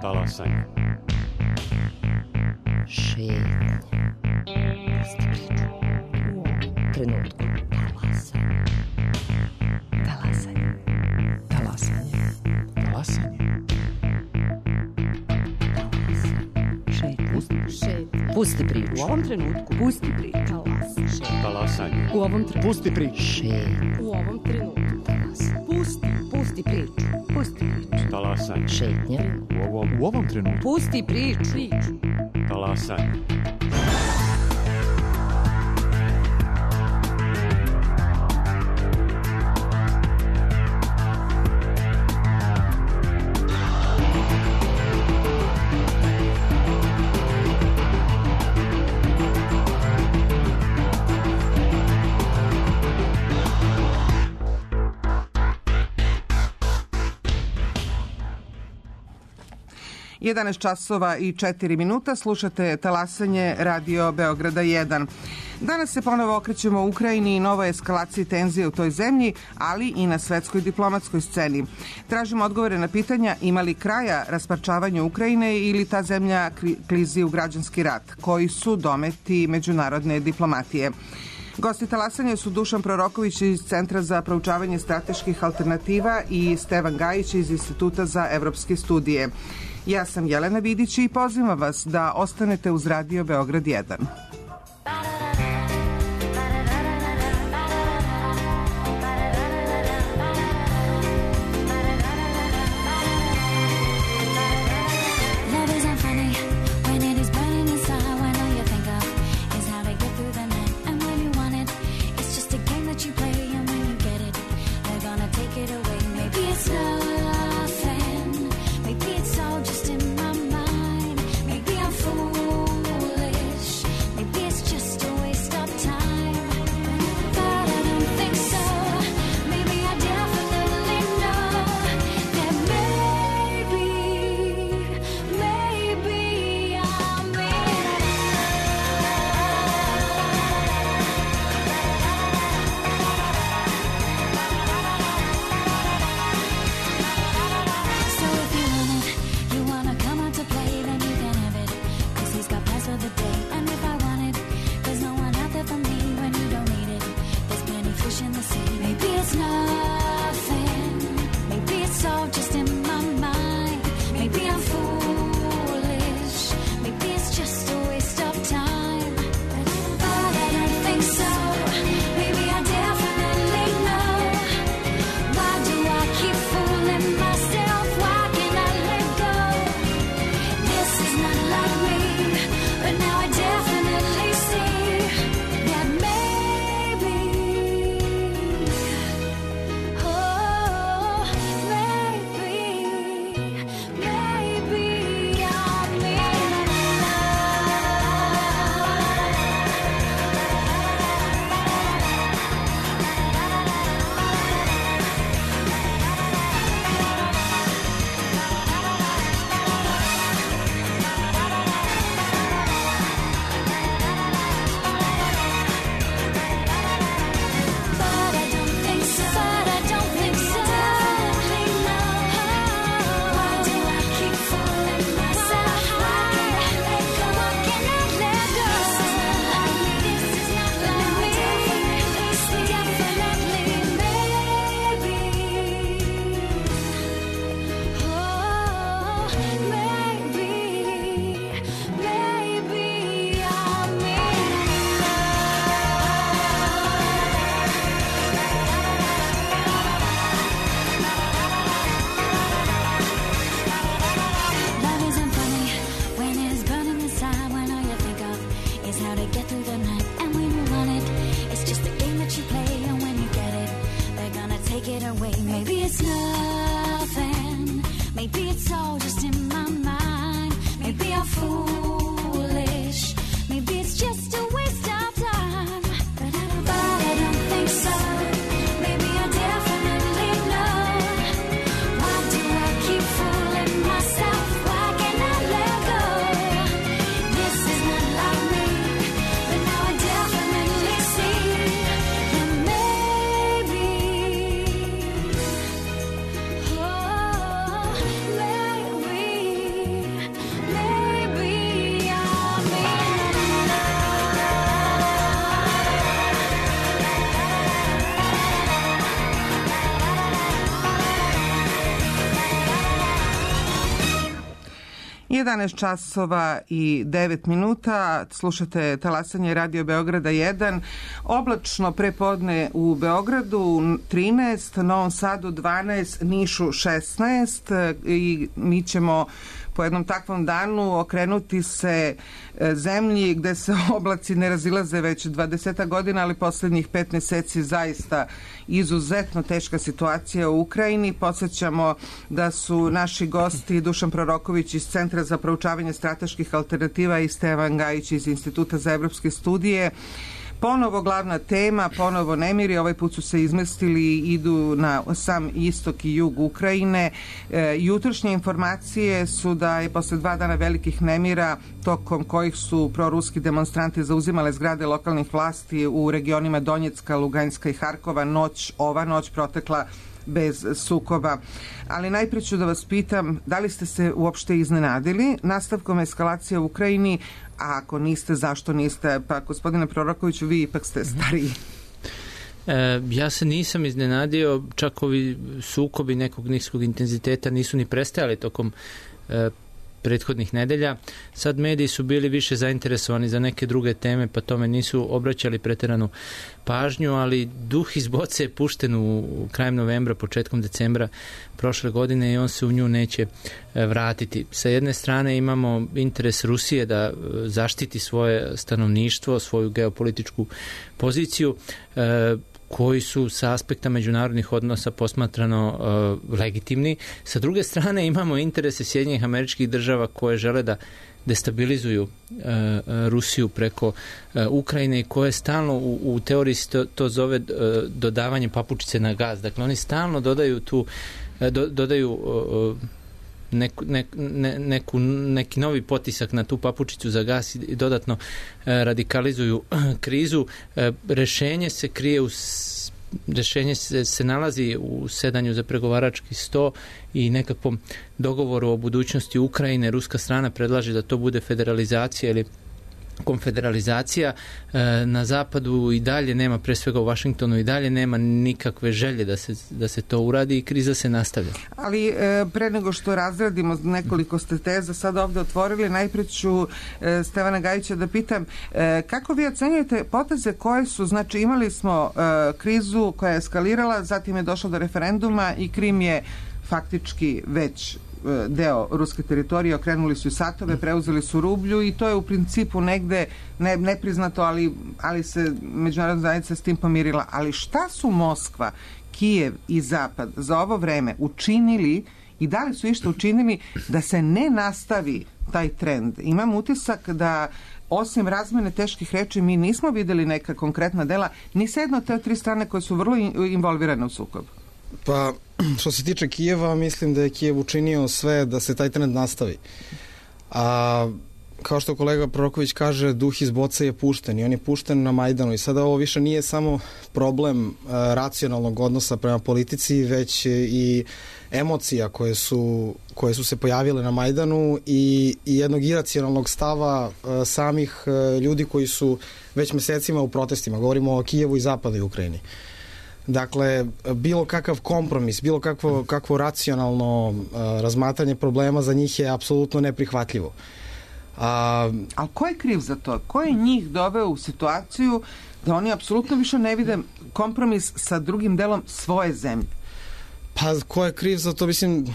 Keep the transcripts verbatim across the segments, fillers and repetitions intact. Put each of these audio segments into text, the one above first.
Talasanje. Šetnja. Pusti priču. U ovom trenutku. Talasanje. Talasanje. Talasanje. Talasanje. Šetnja. Pusti priču. Šetnja. Pusti priču. U ovom trenutku. Pusti priču. Talasanje. Talasanje. U ovom trenutku. Pusti priču. Šetnja. U ovom trenutku. Talasanje. Pusti. Pusti priču. Pusti priču. Talasanje. Šetnja. U ovom, u ovom trenutku. Pusti priču. Priču. Talasanje. jedanaest časova i četiri minuta, slušate Talasanje Radio Beograda jedan. Danas se ponovo okrećemo u Ukrajini i novoj eskalaciji tenzije u toj zemlji, ali i na svetskoj diplomatskoj sceni. Tražimo odgovore na pitanja ima li kraja rasparčavanju Ukrajine ili ta zemlja klizi u građanski rat, koji su dometi međunarodne diplomatije. Gosti Talasanja su Dušan Proroković iz Centra za proučavanje strateških alternativa i Stevan Gajić iz Instituta za evropske studije. Ja sam Jelena Vidić i pozivam vas da ostanete uz Radio Beograd jedan. Oh jedanaest časova i devet minuta, slušate talasanje Radio Beograda jedan, oblačno prepodne u Beogradu trinaest, Novom Sadu dvanaest, Nišu šesnaest i mi ćemo po jednom takvom danu okrenuti se zemlji gde se oblaci ne razilaze već dvadeset godina, ali poslednjih pet meseci zaista izuzetno teška situacija u Ukrajini. Podsećamo da su naši gosti Dušan Proroković iz Centra za proučavanje strateških alternativa i Stevan Gajić iz Instituta za evropske studije. Ponovo glavna tema, ponovo nemiri, ovaj put su se izmestili i idu na sam istok i jug Ukrajine. E, jutrošnje informacije su da je posle dva dana velikih nemira, tokom kojih su proruski demonstranti zauzimale zgrade lokalnih vlasti u regionima Donjecka, Luganjska i Harkova, noć, ova noć protekla bez sukoba. Ali najpre ću da vas pitam, da li ste se uopšte iznenadili nastavkom eskalacije u Ukrajini, a ako niste, zašto niste? Pa, gospodine Prorokoviću, vi ipak ste stariji. E, ja se nisam iznenadio, čak ovi sukobi nekog niskog intenziteta nisu ni prestajali tokom e, prethodnih nedelja. Sad mediji su bili više zainteresovani za neke druge teme, pa tome nisu obraćali preteranu pažnju, ali duh iz boce je pušten u krajem novembra, početkom decembra prošle godine i on se u nju neće vratiti. Sa jedne strane imamo interes Rusije da zaštiti svoje stanovništvo, svoju geopolitičku poziciju, koji su sa aspekta međunarodnih odnosa posmatrano uh, legitimni. Sa druge strane imamo interese Sjedinjenih Američkih Država koje žele da destabilizuju uh, Rusiju preko uh, Ukrajine i koje stalno u, u teoriji to, to zove uh, dodavanje papučice na gas. Dakle, oni stalno dodaju tu uh, do, dodaju uh, Neku, ne, ne, neku, neki novi potisak na tu papučicu za gas i dodatno e, radikalizuju krizu. E, rešenje se krije u rešenje se, se nalazi u sedanju za pregovarački sto i nekakvom dogovoru o budućnosti Ukrajine. Ruska strana predlaže da to bude federalizacija ili konfederalizacija. E, na zapadu i dalje nema, pre svega u Vašingtonu i dalje nema nikakve želje da se, da se to uradi i kriza se nastavlja. Ali e, pre nego što razradimo nekoliko ste teza sad ovde otvorili, najpre ću e, Stevana Gajića da pitam e, kako vi ocenjujete poteze koje su, znači imali smo e, krizu koja je eskalirala, zatim je došlo do referenduma i Krim je faktički već deo ruske teritorije, okrenuli su i satove, preuzeli su rublju i to je u principu negde ne, nepriznato, ali, ali se međunarodna zajednica s tim pomirila. Ali šta su Moskva, Kijev i Zapad za ovo vreme učinili i da li su išta učinili da se ne nastavi taj trend? Imam utisak da osim razmene teških reči mi nismo videli neka konkretna dela ni sa jedno od te tri strane koje su vrlo involvirane u sukob. Pa, što se tiče Kijeva, mislim da je Kijev učinio sve da se taj trend nastavi. A kao što kolega Proroković kaže, duh iz boce je pušten i on je pušten na Majdanu i sada ovo više nije samo problem a, racionalnog odnosa prema politici, već i emocija koje su, koje su se pojavile na Majdanu i, i jednog iracionalnog stava a, samih a, ljudi koji su već mesecima u protestima. Govorimo o Kijevu i zapadnoj Ukrajini. Dakle, bilo kakav kompromis, bilo kakvo, kakvo racionalno uh, razmatranje problema za njih je apsolutno neprihvatljivo. A Ali ko je kriv za to? Ko je njih doveo u situaciju da oni apsolutno više ne vide kompromis sa drugim delom svoje zemlje? Pa, ko je kriv za to, mislim...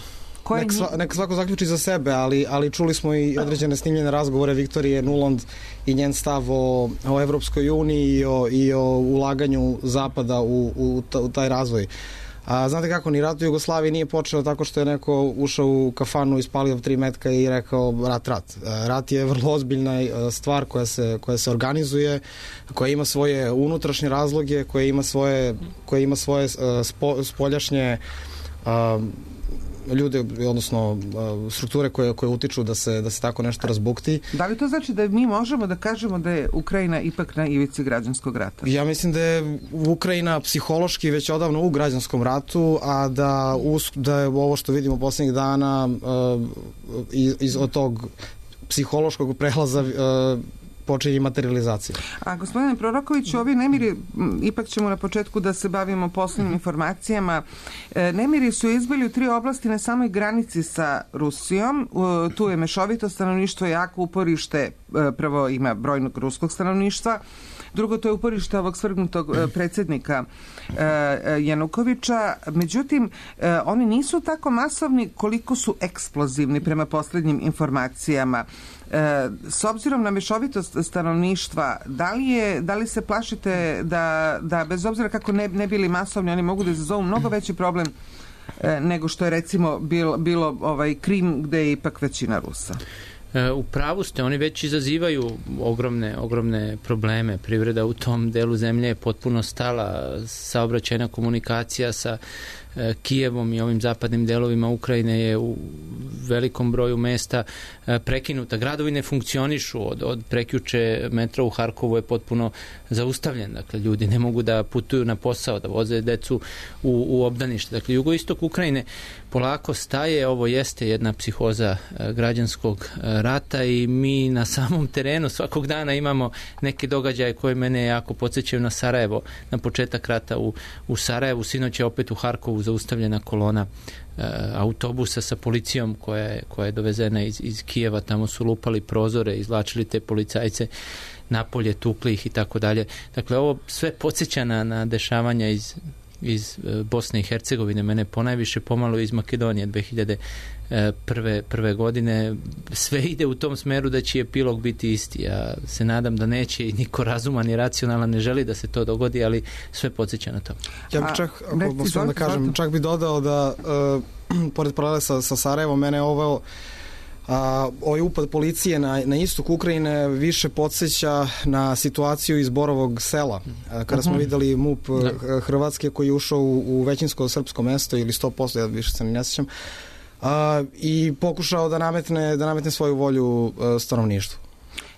Nek, sva, nek svako zaključi za sebe, ali, ali čuli smo i određene snimljene razgovore Viktorije Nuland i njen stav o, o Evropskoj uniji i o, i o ulaganju Zapada u, u, u taj razvoj. A, znate kako, ni rat u Jugoslaviji nije počeo tako što je neko ušao u kafanu, ispalio tri metka i rekao rat, rat. Rat je vrlo ozbiljna stvar koja se, koja se organizuje, koja ima svoje unutrašnje razloge, koja ima svoje, koja ima svoje spo, spoljašnje a, ljude, odnosno strukture koje, koje utiču da se, da se tako nešto razbukti. Da li to znači da mi možemo da kažemo da je Ukrajina ipak na ivici građanskog rata? Ja mislim da je Ukrajina psihološki već odavno u građanskom ratu, a da, da je ovo što vidimo poslednjih dana iz, iz od tog psihološkog prelaza počinje materializacija. A gospodine Prorokoviću, ovi nemiri, ipak ćemo na početku da se bavimo poslednjim informacijama, nemiri su izbili u tri oblasti na samoj granici sa Rusijom. Tu je mešovito stanovništvo, jako uporište, prvo ima brojnog ruskog stanovništva, drugo to je uporište ovog svrgnutog predsjednika Janukovića. Međutim, oni nisu tako masovni koliko su eksplozivni prema poslednjim informacijama. S obzirom na mešovitost stanovništva, da li, je, da li se plašite da, da bez obzira kako ne, ne bili masovni, oni mogu da izazovu mnogo veći problem nego što je recimo bilo, bilo ovaj Krim gde je ipak većina Rusa? U pravu ste, oni već izazivaju ogromne, ogromne probleme. Privreda u tom delu zemlje je potpuno stala, saobraćajna komunikacija sa Kijevom i ovim zapadnim delovima Ukrajine je u velikom broju mesta prekinuta. Gradovi ne funkcionišu, od, od prekjuče metro u Harkovu je potpuno zaustavljen. Dakle, ljudi ne mogu da putuju na posao, da voze decu u, u obdanište. Dakle, jugoistok Ukrajine polako staje, ovo jeste jedna psihoza građanskog rata i mi na samom terenu svakog dana imamo neke događaje koje mene jako podsjećaju na Sarajevo, na početak rata u, u Sarajevu. Sinoć je opet u Harkovu zaustavljena kolona e, autobusa sa policijom koja je, koja je dovezena iz, iz Kijeva, tamo su lupali prozore, izvlačili te policajce napolje, tukli ih i tako dalje. Dakle, ovo sve podsjeća na, na dešavanja iz iz Bosne i Hercegovine, mene ponajviše pomalo iz Makedonije dve hiljade prve godine. Sve ide u tom smeru da će epilog biti isti. Ja se nadam da neće i niko razuman i racionalan ne želi da se to dogodi, ali sve podsjeća na to. Ja bih čak, ako da kažem, čak bih dodao da uh, pored paralele sa, sa Sarajevom, mene je ovo A, ovaj upad policije na, na istok Ukrajine više podsjeća na situaciju iz Borovog sela, a, kada smo videli MUP da. Hrvatske koji je ušao u, u većinsko srpsko mesto ili sto posto, ja više se ne sjećam, a, i pokušao da nametne, da nametne svoju volju a, stanovništvu.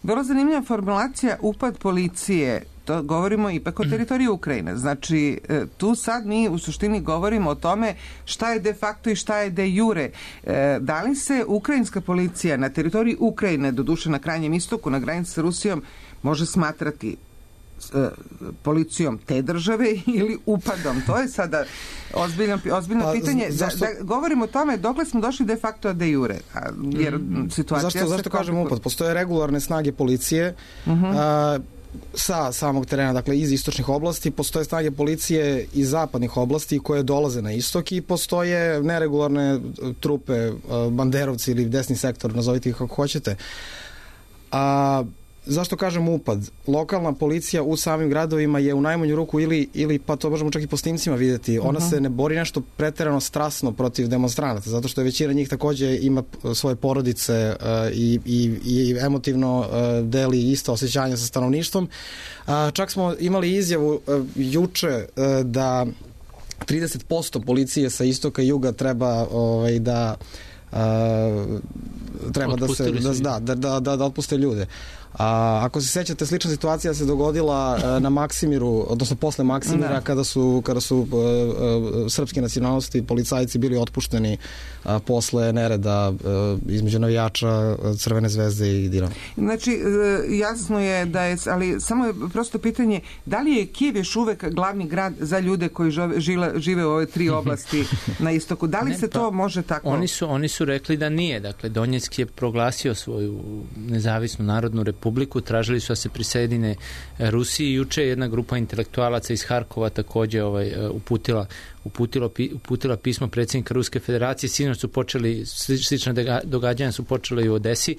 Vrlo zanimljiva formulacija upad policije. To govorimo ipak o teritoriji Ukrajine. Znači, tu sad mi u suštini govorimo o tome šta je de facto i šta je de jure. Da li se ukrajinska policija na teritoriji Ukrajine, doduše na krajnjem istoku, na granici sa Rusijom, može smatrati policijom te države ili upadom? To je sada ozbiljno, ozbiljno pa, pitanje. Zašto? Da, da govorimo o tome dokle smo došli de facto de jure. A, jer situacija zašto, zašto kažem upad? Postoje regularne snage policije uh-huh. a, sa samog terena, dakle iz istočnih oblasti, postoje snage policije iz zapadnih oblasti koje dolaze na istok i postoje neregularne trupe, banderovci ili desni sektor, nazovite ih kako hoćete. A zašto kažem upad? Lokalna policija u samim gradovima je u najmanju ruku ili, ili pa to možemo čak i po snimcima vidjeti, ona uh-huh. se ne bori nešto preterano strasno protiv demonstranata, zato što je većina njih takođe ima svoje porodice uh, i, i, i emotivno uh, deli isto osjećanja sa stanovništvom. Uh, čak smo imali izjavu uh, juče uh, da trideset posto policije sa istoka i juga treba ovaj, da uh, treba da se da, da, da, da, da otpuste ljude. A ako se sećate, slična situacija se dogodila na Maksimiru, odnosno posle Maksimira, kada su, kada su uh, uh, srpske nacionalnosti policajci bili otpušteni uh, posle nereda uh, između navijača Crvene zvezde i Dinama. Znači, uh, jasno je da je, ali samo je prosto pitanje, da li je Kijev još uvek glavni grad za ljude koji žive, žive, žive u ove tri oblasti na istoku? Da li ne, se to pa, može tako? Oni su, oni su rekli da nije. Dakle, Donjeck je proglasio svoju nezavisnu narodnu republiku Republiku, tražili su da se prisedine Rusiji. Juče jedna grupa intelektualaca iz Harkova takođe ovaj, uputila, uputilo, uputila pismo predsjednika Ruske federacije. Sinoć su počeli, slična događanja su počele i u Odesi.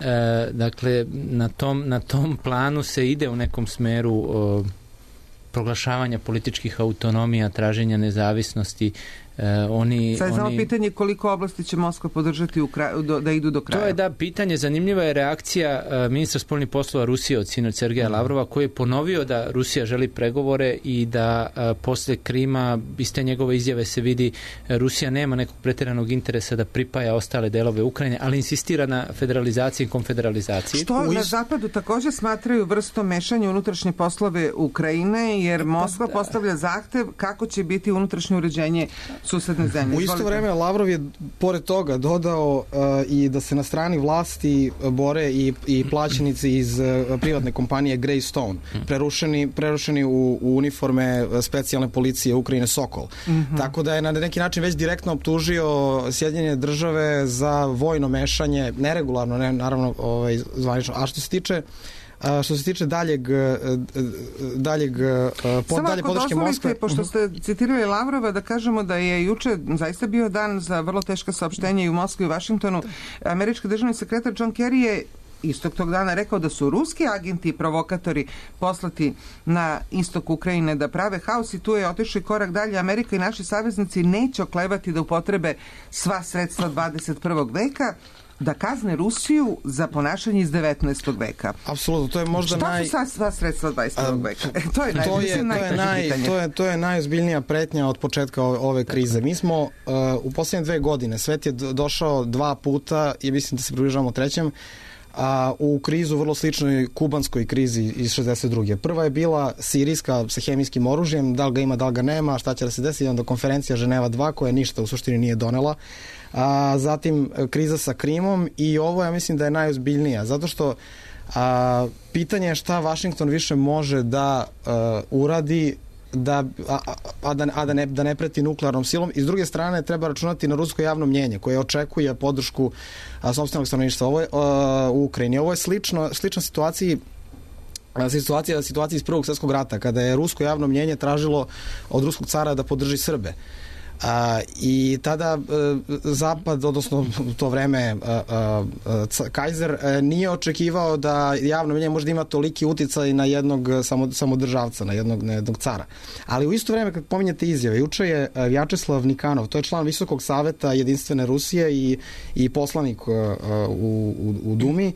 E, dakle, na tom, na tom planu se ide u nekom smeru o, proglašavanja političkih autonomija, traženja nezavisnosti. Uh, oni, Sad je samo oni... pitanje koliko oblasti će Moskva podržati u kraju, do, da idu do kraja. To je da pitanje. Zanimljiva je reakcija uh, ministra spoljnih poslova Rusije od sinoć Sergeja Lavrova, koji je ponovio da Rusija želi pregovore i da uh, posle Krima iz te njegove izjave se vidi uh, Rusija nema nekog pretjeranog interesa da pripaja ostale delove Ukrajine, ali insistira na federalizaciji i konfederalizaciji. Što na zapadu također smatraju vrstom mešanja unutrašnje poslove Ukrajine, jer Moskva postavlja zahtev kako će biti unutrašnje uređenje susedne zemlje. U isto Izvolite. vreme Lavrov je pored toga dodao uh, i da se na strani vlasti bore i, i plaćenici iz uh, privatne kompanije Greystone, prerušeni, prerušeni u, u uniforme specijalne policije Ukrajine Sokol. Mm-hmm. Tako da je na neki način već direktno optužio Sjedinjene države za vojno mešanje, neregularno, ne, naravno ovaj, zvanično. A što se tiče A, što se tiče daljeg, daljeg pod, Samo dalje ako podrške dozvolite, Moskve. pošto ste citirali Lavrova, da kažemo da je juče zaista bio dan za vrlo teška saopštenja i u Moskvi i u Vašingtonu. Američki državni sekretar John Kerry je istog tog dana rekao da su ruski agenti i provokatori poslati na istok Ukrajine da prave haos i tu je otišao i korak dalje. Amerika i naši saveznici neće oklevati da upotrebe sva sredstva dvadeset prvog veka da kazne Rusiju za ponašanje iz devetnaestog veka. Apsolutno, to je možda Šta naj... su sva, sva sredstva dvadeset prvog veka? E, to je, naj, to je, mislim, to je, naj, pitanje. to je, to je najozbiljnija pretnja od početka ove, ove krize. Mi smo uh, u posljednje dve godine, svet je došao dva puta i mislim da se približavamo trećem, a u krizu vrlo sličnoj kubanskoj krizi iz šezdeset druge. Prva je bila sirijska sa hemijskim oružjem, da li ga ima, da li ga nema, šta će da se desi, onda konferencija Ženeva dva koja ništa u suštini nije donela. A, zatim kriza sa Krimom i ovo ja mislim da je najozbiljnija, zato što a, pitanje je šta Vašington više može da a, uradi da, a, a, da, a da, ne, da ne preti nuklearnom silom i s druge strane treba računati na rusko javno mnjenje koje očekuje podršku a, sopstvenog stanovništva ovo je, a, u Ukrajini. Ovo je slično, slična situaciji situacija, situacija iz Prvog svjetskog rata kada je rusko javno mnjenje tražilo od ruskog cara da podrži Srbe. A, i tada a, Zapad, odnosno u to vreme a, a, a, Kajzer a, nije očekivao da javno mnjenje može da ima toliki uticaj na jednog samo, samodržavca, na jednog, na jednog cara. Ali u isto vreme kad pominjete izjave, juče je Vjačeslav Nikanov, to je član Visokog saveta Jedinstvene Rusije i, i poslanik a, u, u, u Dumi,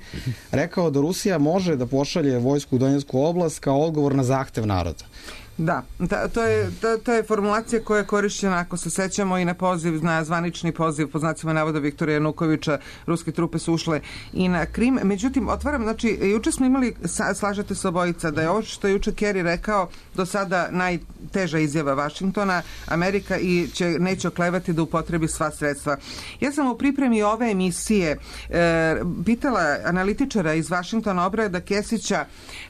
rekao da Rusija može da pošalje vojsku u Donjecku oblast kao odgovor na zahtev naroda. Da, ta, to, je, to, to je formulacija koja je korišćena, ako se sećamo, i na poziv, na zvanični poziv, po znacima navoda Viktora Janukovića, ruske trupe su ušle i na Krim. Međutim, otvaram, znači, juče smo imali, slažete se obojica, da je ovo što je juče Kerry rekao do sada najteža izjava Vašingtona, Amerika i će, neće oklevati da upotrebi sva sredstva. Ja sam u pripremi ove emisije e, pitala analitičara iz Vašingtona, Obrada Kesića,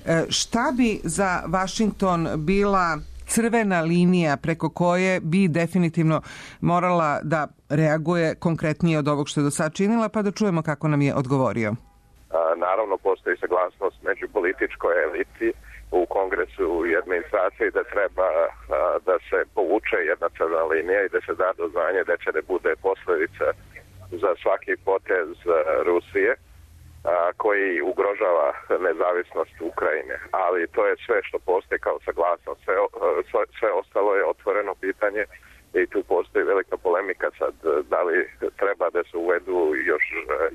e, šta bi za Vašington bila crvena linija preko koje bi definitivno morala da reaguje konkretnije od ovog što je do sad činila, pa da čujemo kako nam je odgovorio. A, naravno, postoji saglasnost među političkoj eliti u Kongresu i administraciji da treba a, da se povuče jedna crvena linija i da se da do znanja da će ne bude posledica za svaki potez a, Rusije a, koji ugrožava nezavisnost Ukrajine. Ali to je sve što postoji kao saglasnost. Sve, sve, sve ostalo je otvoreno pitanje i tu postoji velika polemika sad da li treba da se uvedu još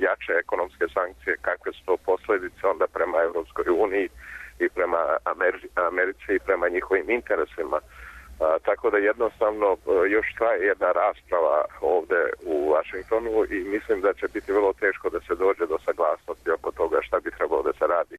jače ekonomske sankcije, kakve su to posljedice onda prema Evropskoj uniji i prema Americi i prema njihovim interesima. A, tako da jednostavno još traje jedna rasprava ovde u Vašingtonu i mislim da će biti vrlo teško da se dođe do saglasnosti oko toga šta bi trebalo da se radi.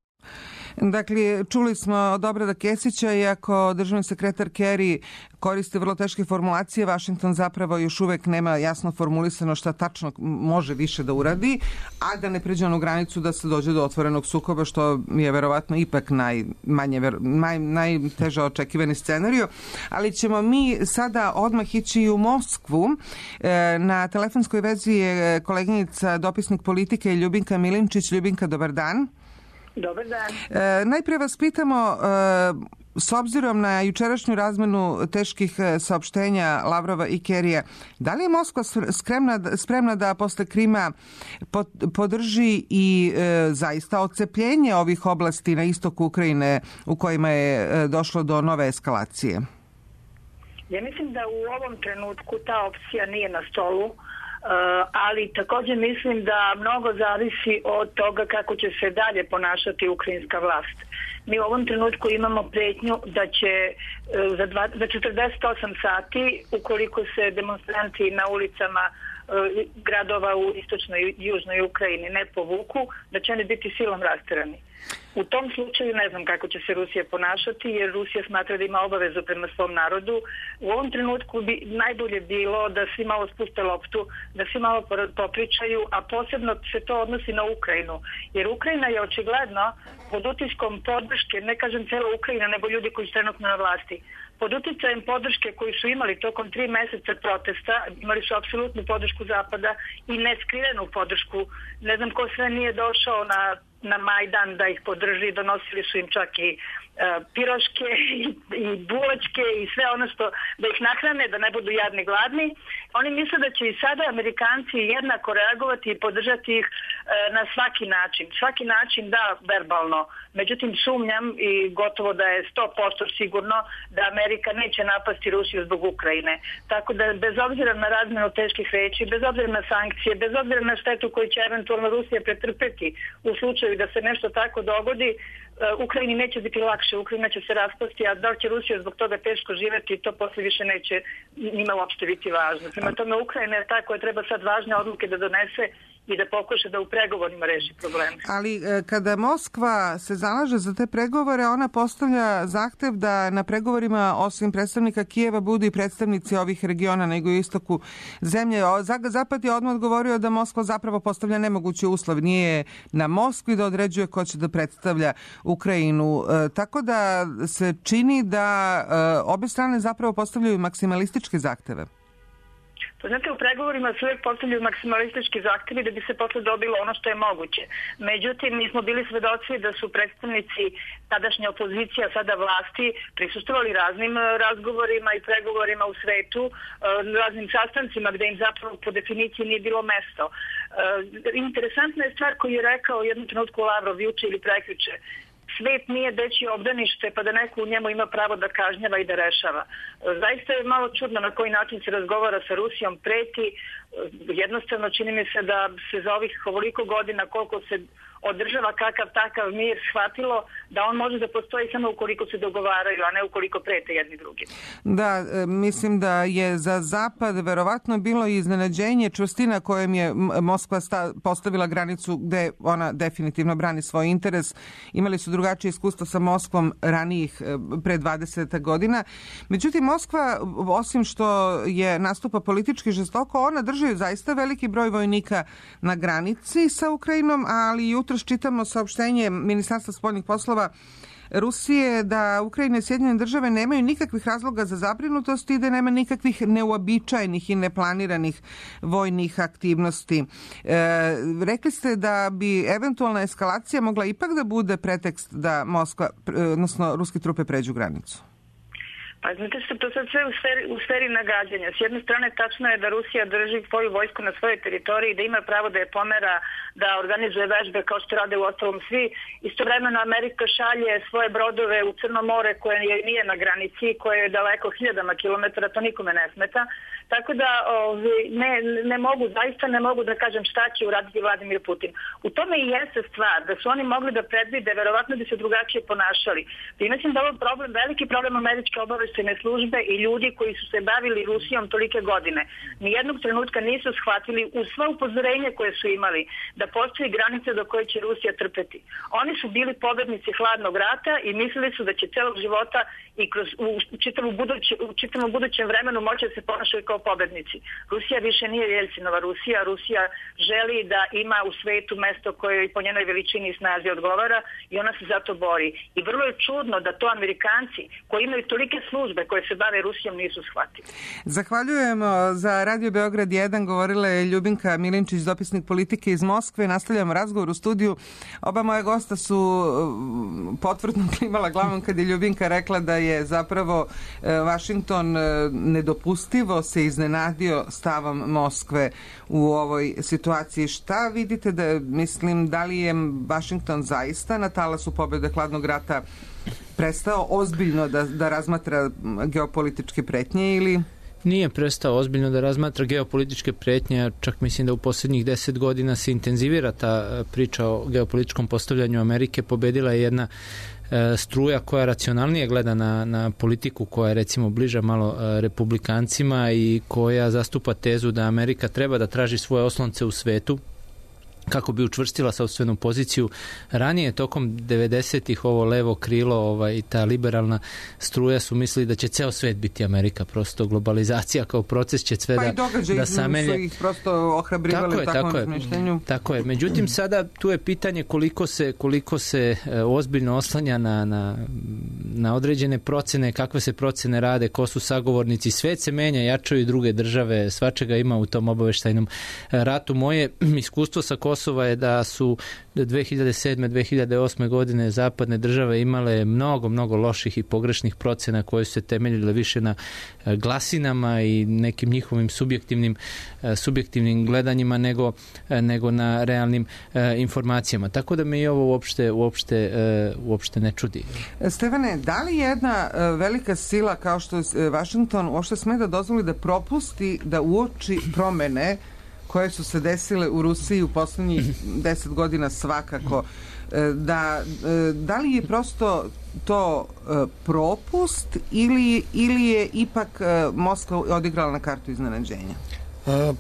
Dakle, čuli smo od Obrada Kesića, iako državni sekretar Kerry koristi vrlo teške formulacije, Vašington zapravo još uvek nema jasno formulisano šta tačno može više da uradi, a da ne pređe onu granicu da se dođe do otvorenog sukoba, što je verovatno ipak najmanje, naj, najteže očekivani scenariju. Ali ćemo mi sada odmah ići i u Moskvu. Na telefonskoj vezi je koleginica, dopisnik politike Ljubinka Milinčić. Ljubinka, dobar dan. Dobar dan. E, najpre vas pitamo, e, s obzirom na jučerašnju razmenu teških saopštenja Lavrova i Kerrya, da li je Moskva spremna, spremna da posle Krima podrži i e, zaista odcepljenje ovih oblasti na istoku Ukrajine u kojima je došlo do nove eskalacije? Ja mislim da u ovom trenutku ta opcija nije na stolu. Uh, ali također mislim da mnogo zavisi od toga kako će se dalje ponašati ukrajinska vlast. Mi u ovom trenutku imamo pretnju da će uh, za, dva, za četrdeset osam sati, ukoliko se demonstranti na ulicama gradova u istočnoj i južnoj Ukrajini ne povuku, da će oni biti silom rasterani. U tom slučaju ne znam kako će se Rusija ponašati, jer Rusija smatra da ima obavezu prema svom narodu. U ovom trenutku bi najbolje bilo da svi malo spuste loptu, da svi malo popričaju, a posebno se to odnosi na Ukrajinu. Jer Ukrajina je očigledno pod utiskom podrške, ne kažem cela Ukrajina, nego ljudi koji su trenutno na vlasti, pod uticajem podrške koju su imali tokom tri meseca protesta, imali su apsolutnu podršku Zapada i neskrivenu podršku. Ne znam ko sve nije došao na na Majdan da ih podrži, donosili su im čak i uh, piroške i, i buločke i sve ono što da ih nahrane, da ne budu jadni gladni. Oni misle da će i sada Amerikanci jednako reagovati i podržati ih uh, na svaki način. Svaki način da, verbalno. Međutim, sumnjam i gotovo da je sto posto sigurno da Amerika neće napasti Rusiju zbog Ukrajine. Tako da bez obzira na razmenu teških reči, bez obzira na sankcije, bez obzira na štetu koju će eventualno Rusija pretrpeti u slučaju da se nešto tako dogodi, Ukrajini neće biti lakše, Ukrajina će se raspasti, a da li će Rusija zbog toga teško živeti, to posle više neće njima uopšte biti važno. Prema tome, Ukrajina je ta koja treba sad važne odluke da donese i da pokuša da u pregovorima reši probleme. Ali kada Moskva se zalaže za te pregovore, ona postavlja zahtev da na pregovorima osim predstavnika Kijeva budu i predstavnici ovih regiona na jugoistoku zemlje. Zapad je odmah odgovorio da Moskva zapravo postavlja nemogući uslov. Nije na Moskvi da određuje ko će da predstavlja Ukrajinu. E, tako da se čini da e, obe strane zapravo postavljaju maksimalističke zahteve. Pa znate, u pregovorima se uvijek postavljaju maksimalistički zahtjevi da bi se posle dobilo ono što je moguće. Međutim, mi smo bili svedoci da su predstavnici tadašnje opozicija, sada vlasti, prisustvovali raznim razgovorima i pregovorima u svetu, raznim sastancima gde im zapravo po definiciji nije bilo mesto. Interesantna je stvar koju je rekao u jednom trenutku Lavrov juče ili prekjuče. Svet nije dečije obdanište pa da neko u njemu ima pravo da kažnjava i da rešava. Zaista je malo čudno na koji način se razgovara sa Rusijom, preti. Jednostavno čini mi se da se za ovih ovoliko godina koliko se održava kakav takav mir shvatilo da on može da postoji samo ukoliko se dogovaraju, a ne ukoliko prete jedni drugim. Da, mislim da je za Zapad verovatno bilo i iznenađenje čvrstina kojem je Moskva postavila granicu gde ona definitivno brani svoj interes. Imali su drugačije iskustvo sa Moskvom ranijih pre dvadeset godina. Međutim, Moskva, osim što je nastupa politički žestoko, ona drži zaista veliki broj vojnika na granici sa Ukrajinom, ali jutro čitamo saopštenje Ministarstva spoljnih poslova Rusije da Ukrajina i Sjedinjene države nemaju nikakvih razloga za zabrinutost i da nema nikakvih neuobičajenih i neplaniranih vojnih aktivnosti. E, rekli ste da bi eventualna eskalacija mogla ipak da bude pretekst da Moskva, odnosno ruske trupe pređu granicu. Pa znate što to sad sve u sferi, u sferi nagađanja. S jedne strane tačno je da Rusija drži svoju vojsku na svojoj teritoriji, da ima pravo da je pomera, da organizuje vežbe kao što rade u ostalom svi. Istovremeno Amerika šalje svoje brodove u Crno more koje nije na granici, koje je daleko hiljadama kilometara, to nikome ne smeta. Tako da ne, ne mogu, zaista ne mogu da kažem šta će uraditi Vladimir Putin. U tome i jeste stvar, da su oni mogli da predvide, verovatno bi se drugačije ponašali. I mislim da ovo problem, veliki problem američke obaveštajne službe i ljudi koji su se bavili Rusijom tolike godine. Nijednog trenutka nisu shvatili uz sva upozorenja koje su imali da postoji granice do koje će Rusija trpeti. Oni su bili pobednici hladnog rata i mislili su da će celog života i kroz, u, čitavu buduće, u čitavom budućem vremenu moći da se ponašaju kao pobednici. Rusija više nije Jelcinova Rusija. Rusija želi da ima u svetu mesto koje po njenoj veličini i snazi odgovara i ona se zato bori. I vrlo je čudno da to Amerikanci koji imaju tolike službe koje se bave Rusijom nisu shvatili. Zahvaljujemo. Za Radio Beograd jedan govorila je Ljubinka Milinčić, dopisnik politike iz Moskve. Nastavljamo razgovor u studiju. Oba moja gosta su potvrdno klimala glavom kad je Ljubinka rekla da je zapravo Vašington nedopustivo se iznenadio stavom Moskve u ovoj situaciji. Šta vidite da, mislim, da li je Vašington zaista na talasu pobjede hladnog rata prestao ozbiljno da, da razmatra geopolitičke pretnje ili... Nije prestao ozbiljno da razmatra geopolitičke pretnje, čak mislim da u posljednjih deset godina se intenzivira ta priča o geopolitičkom postavljanju Amerike. Pobedila je jedna struja koja racionalnije gleda na, na politiku koja je recimo bliža malo republikancima i koja zastupa tezu da Amerika treba da traži svoje oslonce u svetu kako bi učvrstila sopstvenu poziciju. Ranije, tokom devedesetih, ovo levo krilo ovaj, i ta liberalna struja su mislili da će ceo svet biti Amerika. Prosto globalizacija kao proces će sve pa da, da samelje. Pa i događaji su ih prosto ohrabrivali u takvom razmišljenju. Tako je. Međutim, sada tu je pitanje koliko se, koliko se e, ozbiljno oslanja na, na, na određene procene, kakve se procene rade, ko su sagovornici. Svet se menja, jačaju i druge države, svačega ima u tom obaveštajnom ratu. Moje iskustvo sa Kosova je da su dve hiljade sedme. dve hiljade osme. godine zapadne države imale mnogo, mnogo loših i pogrešnih procena koje su se temeljile više na glasinama i nekim njihovim subjektivnim, subjektivnim gledanjima nego, nego na realnim informacijama. Tako da me i ovo uopšte, uopšte, uopšte ne čudi. Stefane, da li jedna velika sila kao što je Vašington uopšte sme da dozvoli da propusti da uoči promene koje su se desile u Rusiji u poslednjih deset godina svakako, da, da li je prosto to propust ili, ili je ipak Moskva odigrala na kartu iznenađenja?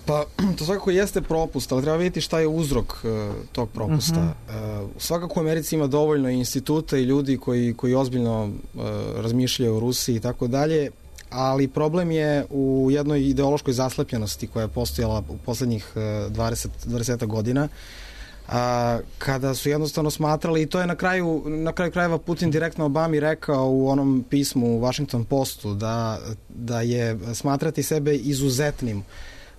Pa, to svakako jeste propust, ali treba vidjeti šta je uzrok tog propusta. Uh-huh. Svakako u Americi ima dovoljno instituta i ljudi koji, koji ozbiljno razmišljaju o Rusiji i tako dalje, ali problem je u jednoj ideološkoj zaslepljenosti koja je postojala u poslednjih dvadeset, dvadeset godina, a, kada su jednostavno smatrali, i to je na kraju, na kraju krajeva Putin direktno Obami rekao u onom pismu u Washington Postu, da, da je smatrati sebe izuzetnim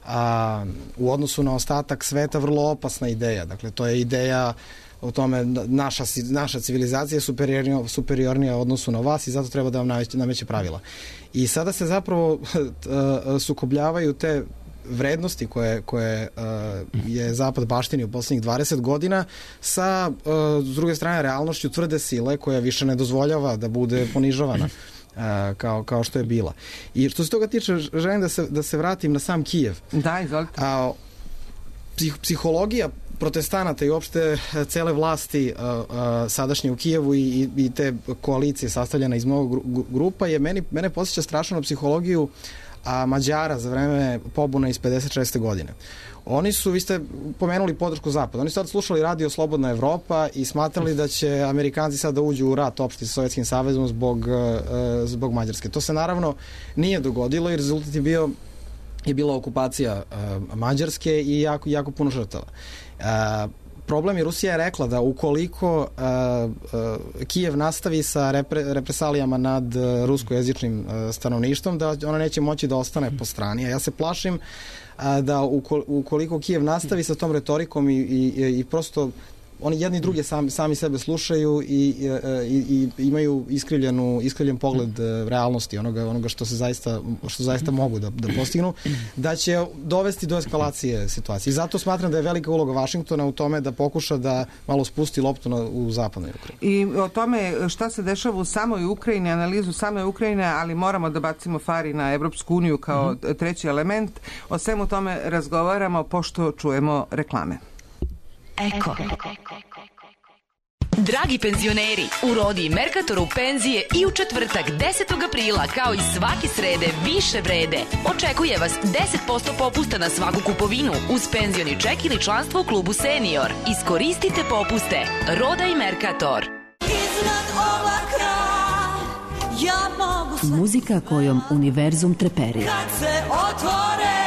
a, u odnosu na ostatak sveta vrlo opasna ideja. Dakle, to je ideja o tome naša, naša civilizacija je superiornija, superiornija u odnosu na vas i zato treba da vam nameće, nameće pravila. I sada se zapravo sukobljavaju te vrednosti koje, koje uh, je Zapad baštinio u poslednjih dvadeset godina sa, uh, s druge strane, realnošću tvrde sile koja više ne dozvoljava da bude ponižavana uh, kao, kao što je bila. I što se toga tiče, želim da se, da se vratim na sam Kijev. Da, izvolite. A, psih, psihologija protestanata i uopšte cele vlasti uh, uh, sadašnje u Kijevu i, i te koalicije sastavljena iz mnogo grupa je meni, mene posjeća strašno na psihologiju a Mađara za vreme pobune iz pedeset šeste. godine. Oni su, vi ste pomenuli podršku Zapada, oni su sad slušali radio Slobodna Evropa i smatrali da će Amerikanci sad da uđu u rat opšti sa Sovjetskim savezom zbog, uh, zbog Mađarske. To se naravno nije dogodilo i rezultat je bio je bila okupacija uh, Mađarske i jako, jako puno žrtava. Uh, problem je, Rusija je rekla da ukoliko uh, uh, Kijev nastavi sa repre, represalijama nad uh, ruskojezičnim uh, stanovništvom, da ona neće moći da ostane po strani. A ja se plašim uh, da ukoliko Kijev nastavi sa tom retorikom i, i, i prosto oni jedni druge sami, sami sebe slušaju i, i, i imaju iskrivljenu, iskrivljen pogled realnosti onoga, onoga što se zaista, što zaista mogu da, da postignu, da će dovesti do eskalacije situacije. I zato smatram da je velika uloga Vašingtona u tome da pokuša da malo spusti loptu na, u zapadnoj Ukrajini. I o tome šta se dešava u samoj Ukrajini, analizu same Ukrajine, ali moramo da bacimo fari na Evropsku uniju kao mm-hmm. treći element. O svemu tome razgovaramo pošto čujemo reklame. Eko. Dragi penzioneri, u Rodi i Merkatoru penzije i u četvrtak desetog aprila kao i svake srede više vrede. Očekuje vas deset posto popusta na svaku kupovinu uz penzioni ček ili članstvo u klubu Senior. Iskoristite popuste. Roda i Merkator. Iznad oblaka ja mogu... Muzika kojom univerzum treperi. Kad se otvore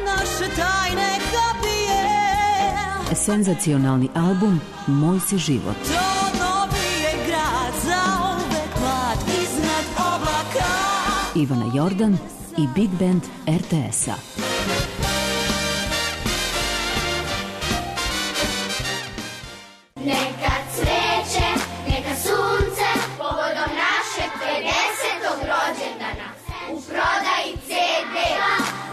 naše tajne kapije. Senzacionalni album Moj si život. To novi je grad za uvek mlad iznad oblaka. Ivana Jordan i Big Band er te es-a. Neka cveće, neka sunce, povodom našeg pedesetog rođendana. U prodaji ce de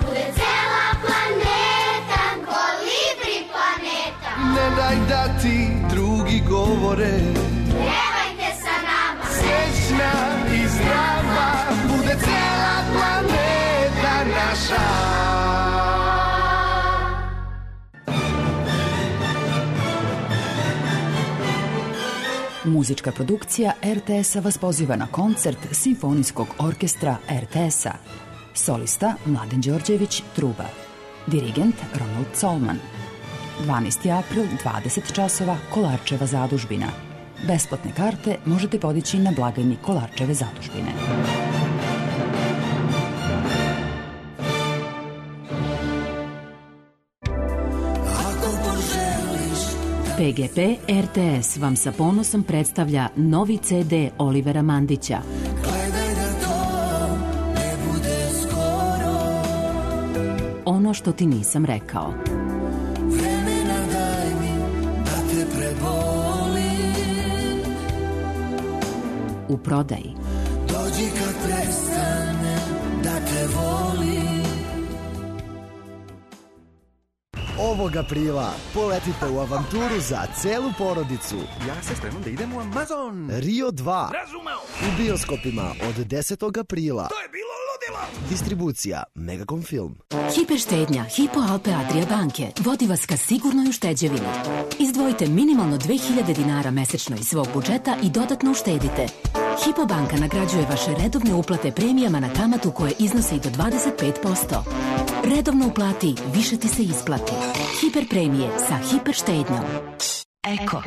bude cela planeta, kolibri planeta. Ne daj da ti drugi govore, Pjevajte sa nama, srećna i zdrava, bude cela planeta naša. Muzička produkcija er te esa vas poziva na koncert Simfonijskog orkestra er te esa. Solista Mladen Đorđević, truba. Dirigent Ronald Colman. dvanaesti april, dvadeset časova, Kolarčeva zadužbina. Besplatne karte možete podići na blagajni Kolarčeve zadužbine. pe ge pe er te es vam sa ponosom predstavlja novi ce de Olivera Mandića. Ono što ti nisam rekao. Vremena daj mi da te prebolim. U prodaji. Dođi kad prestanem da te volim. Ovog aprila poletite u avanturu za celu porodicu. Ja se spremam da idem u Amazon. Rio dva. Razumeo. U bioskopima od desetog aprila. To je bilo ludilo. Distribucija Megacom Film. Hiperštednja Hypo Alpe Adria banke vodi vas ka sigurnoj ušteđevini. Izdvojite minimalno dve hiljade dinara mesečno iz svog budžeta i dodatno uštedite. Hypo banka nagrađuje vaše redovne uplate premijama na kamatu koje iznose i do dvadeset pet posto. Redovno uplati, više ti se isplati. Hiper premije sa hiperštednjom. Eko.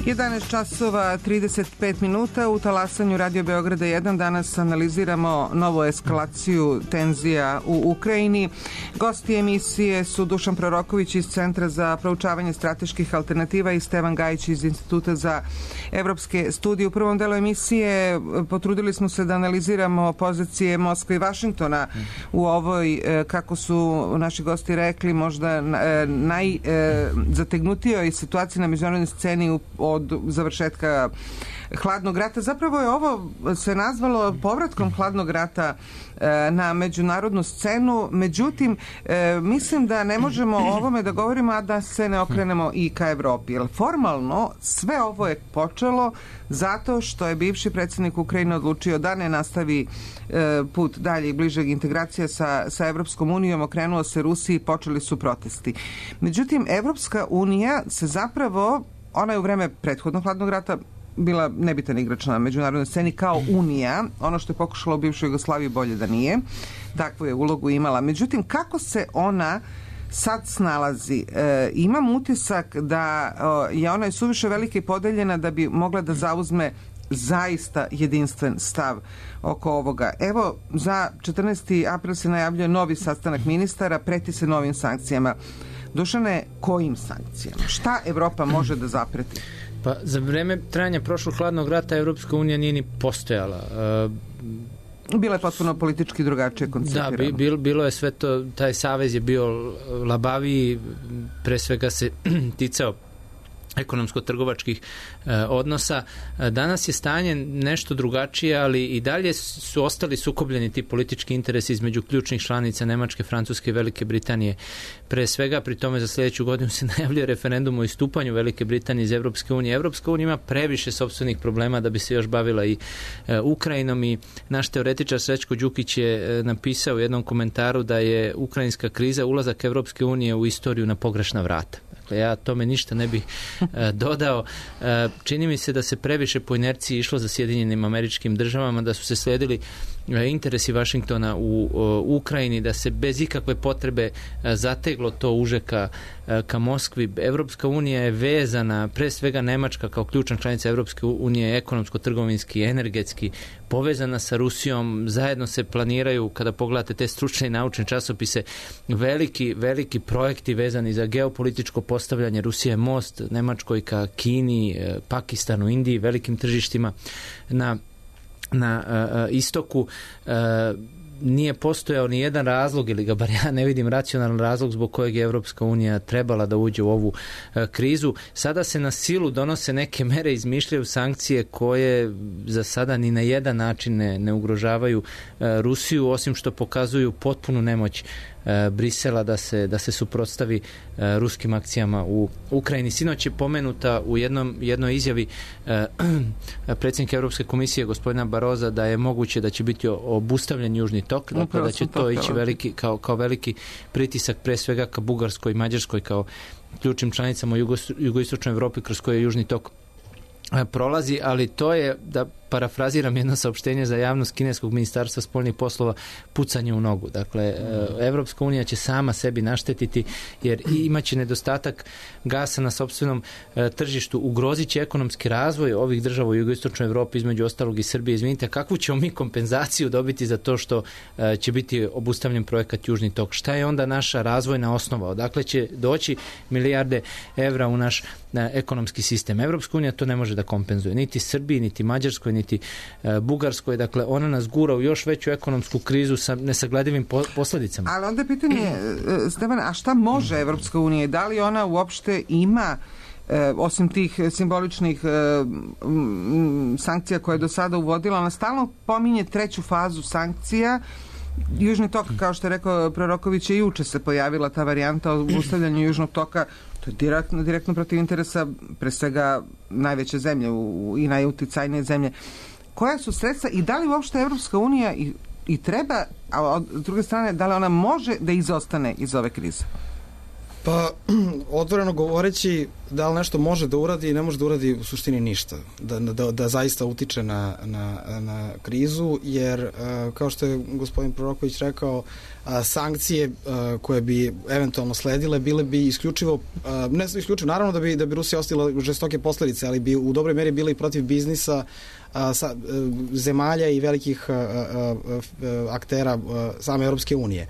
jedanaest časova trideset pet minuta u talasanju Radio Beograda jedan. Danas analiziramo novu eskalaciju tenzija u Ukrajini. Gosti emisije su Dušan Proroković iz Centra za proučavanje strateških alternativa i Stevan Gajić iz Instituta za evropske studije. U prvom delu emisije potrudili smo se da analiziramo pozicije Moskve i Vašingtona u ovoj, kako su naši gosti rekli, možda najzategnutijoj situaciji na međunarodnoj sceni od završetka hladnog rata. Zapravo je ovo se nazvalo povratkom hladnog rata na međunarodnu scenu, međutim mislim da ne možemo o ovome da govorimo, a da se ne okrenemo i ka Evropi. Jer formalno sve ovo je počelo zato što je bivši predsjednik Ukrajine odlučio da ne nastavi put dalje i bližeg integracija sa, sa Evropskom unijom, okrenuo se Rusiji i počeli su protesti. Međutim, Evropska unija se zapravo, ona je u vreme prethodnog hladnog rata bila nebitan igrač na međunarodnoj sceni kao Unija, ono što je pokušalo u bivšoj Jugoslaviji bolje da nije, takvu je ulogu imala. Međutim, kako se ona sad snalazi? E, imam utisak da o, je ona je suviše velika i podeljena da bi mogla da zauzme zaista jedinstven stav oko ovoga. Evo, za četrnaesti april se najavljuje novi sastanak ministara, preti se novim sankcijama. Dušane, kojim sankcijama? Šta Evropa može da zapreti? Pa za vreme trajanja prošlog hladnog rata Evropska unija nije ni postojala. Bila je potpuno politički drugačije koncipirano. Da, bil, bilo je sve to, taj savez je bio labaviji, pre svega se ticao ekonomsko-trgovačkih e, odnosa. Danas je stanje nešto drugačije, ali i dalje su ostali sukobljeni ti politički interesi između ključnih članica Nemačke, Francuske i Velike Britanije. Pre svega, pri tome za sljedeću godinu se najavljuje referendum o istupanju Velike Britanije iz Evropske unije. Evropska unija ima previše sopstvenih problema da bi se još bavila i e, Ukrajinom i naš teoretičar Srećko Đukić je e, napisao u jednom komentaru da je ukrajinska kriza ulazak Evropske unije u istoriju na pogrešna vrata. Dakle, ja tome ništa ne bih e, dodao. E, čini mi se da se previše po inerciji išlo za Sjedinjenim Američkim Državama, da su se sledili e, interesi Vašingtona u o, Ukrajini, da se bez ikakve potrebe e, zateglo to uže ka, e, ka Moskvi. Evropska unija je vezana, pre svega Nemačka kao ključna članica Evropske unije, ekonomsko-trgovinski, energetski, povezana sa Rusijom. Zajedno se planiraju, kada pogledate te stručne i naučne časopise, veliki, veliki projekti vezani za geopolitičko postavljanje. Rusija je most Nemačkoj ka Kini, Pakistanu, Indiji, velikim tržištima na, na uh, istoku. Uh, nije postojao ni jedan razlog, ili ga bar ja ne vidim racionalan razlog zbog kojeg je Evropska unija trebala da uđe u ovu uh, krizu. Sada se na silu donose neke mere, izmišljaju sankcije koje za sada ni na jedan način ne, ne ugrožavaju uh, Rusiju, osim što pokazuju potpunu nemoć Brisela da se, da se suprotstavi ruskim akcijama u Ukrajini. Sinoć je pomenuta u jednom, jednoj izjavi predsjednika Europske komisije gospodina Baroza da je moguće da će biti obustavljen Južni tok, dakle da će to ići veliki, kao, kao veliki pritisak pre svega ka Bugarskoj i Mađarskoj kao ključnim članicama u jugo, jugoistočnoj Evropi kroz koje je Južni tok prolazi, ali to je, da parafraziram jedno saopštenje za javnost kineskog ministarstva spoljnih poslova, pucanje u nogu. Dakle, Evropska unija će sama sebi naštetiti jer imaće nedostatak gasa na sopstvenom tržištu, ugrozit će ekonomski razvoj ovih država u jugoistočnoj Evropi, između ostalog i Srbije. Izvinite, kakvu ćemo mi kompenzaciju dobiti za to što će biti obustavljen projekat Južni tok? Šta je onda naša razvojna osnova? Odakle će doći milijarde evra u naš ekonomski sistem? Evropska unija to ne može da kompenzuje. Niti Srbiji, niti Mađarskoj, niti e, Bugarskoj. Dakle, ona nas gura u još veću ekonomsku krizu sa nesagledivim po, posljedicama. Ali onda je pitanje, Stefan, a šta može Evropska unija? Da li ona uopšte ima E, osim tih simboličnih e, m, sankcija koje je do sada uvodila, ona stalno pominje treću fazu sankcija. Južni tok, kao što je rekao Proroković, je juče se pojavila ta varijanta o ustavljanju Južnog toka. To je direktno, direktno protiv interesa pre svega najveće zemlje u, i najuticajnije zemlje. Koja su sredstva i da li uopšte Evropska unija i, i treba, a od druge strane, da li ona može da izostane iz ove krize? Pa, otvoreno govoreći, da li nešto može da uradi i ne može da uradi u suštini ništa. Da, da, da zaista utiče na, na, na krizu, jer, kao što je gospodin Proroković rekao, sankcije koje bi eventualno sledile bile bi isključivo, ne isključivo, naravno da bi, da bi Rusija ostavila žestoke posledice, ali bi u dobroj meri bile i protiv biznisa sa, zemalja i velikih aktera same Europske unije.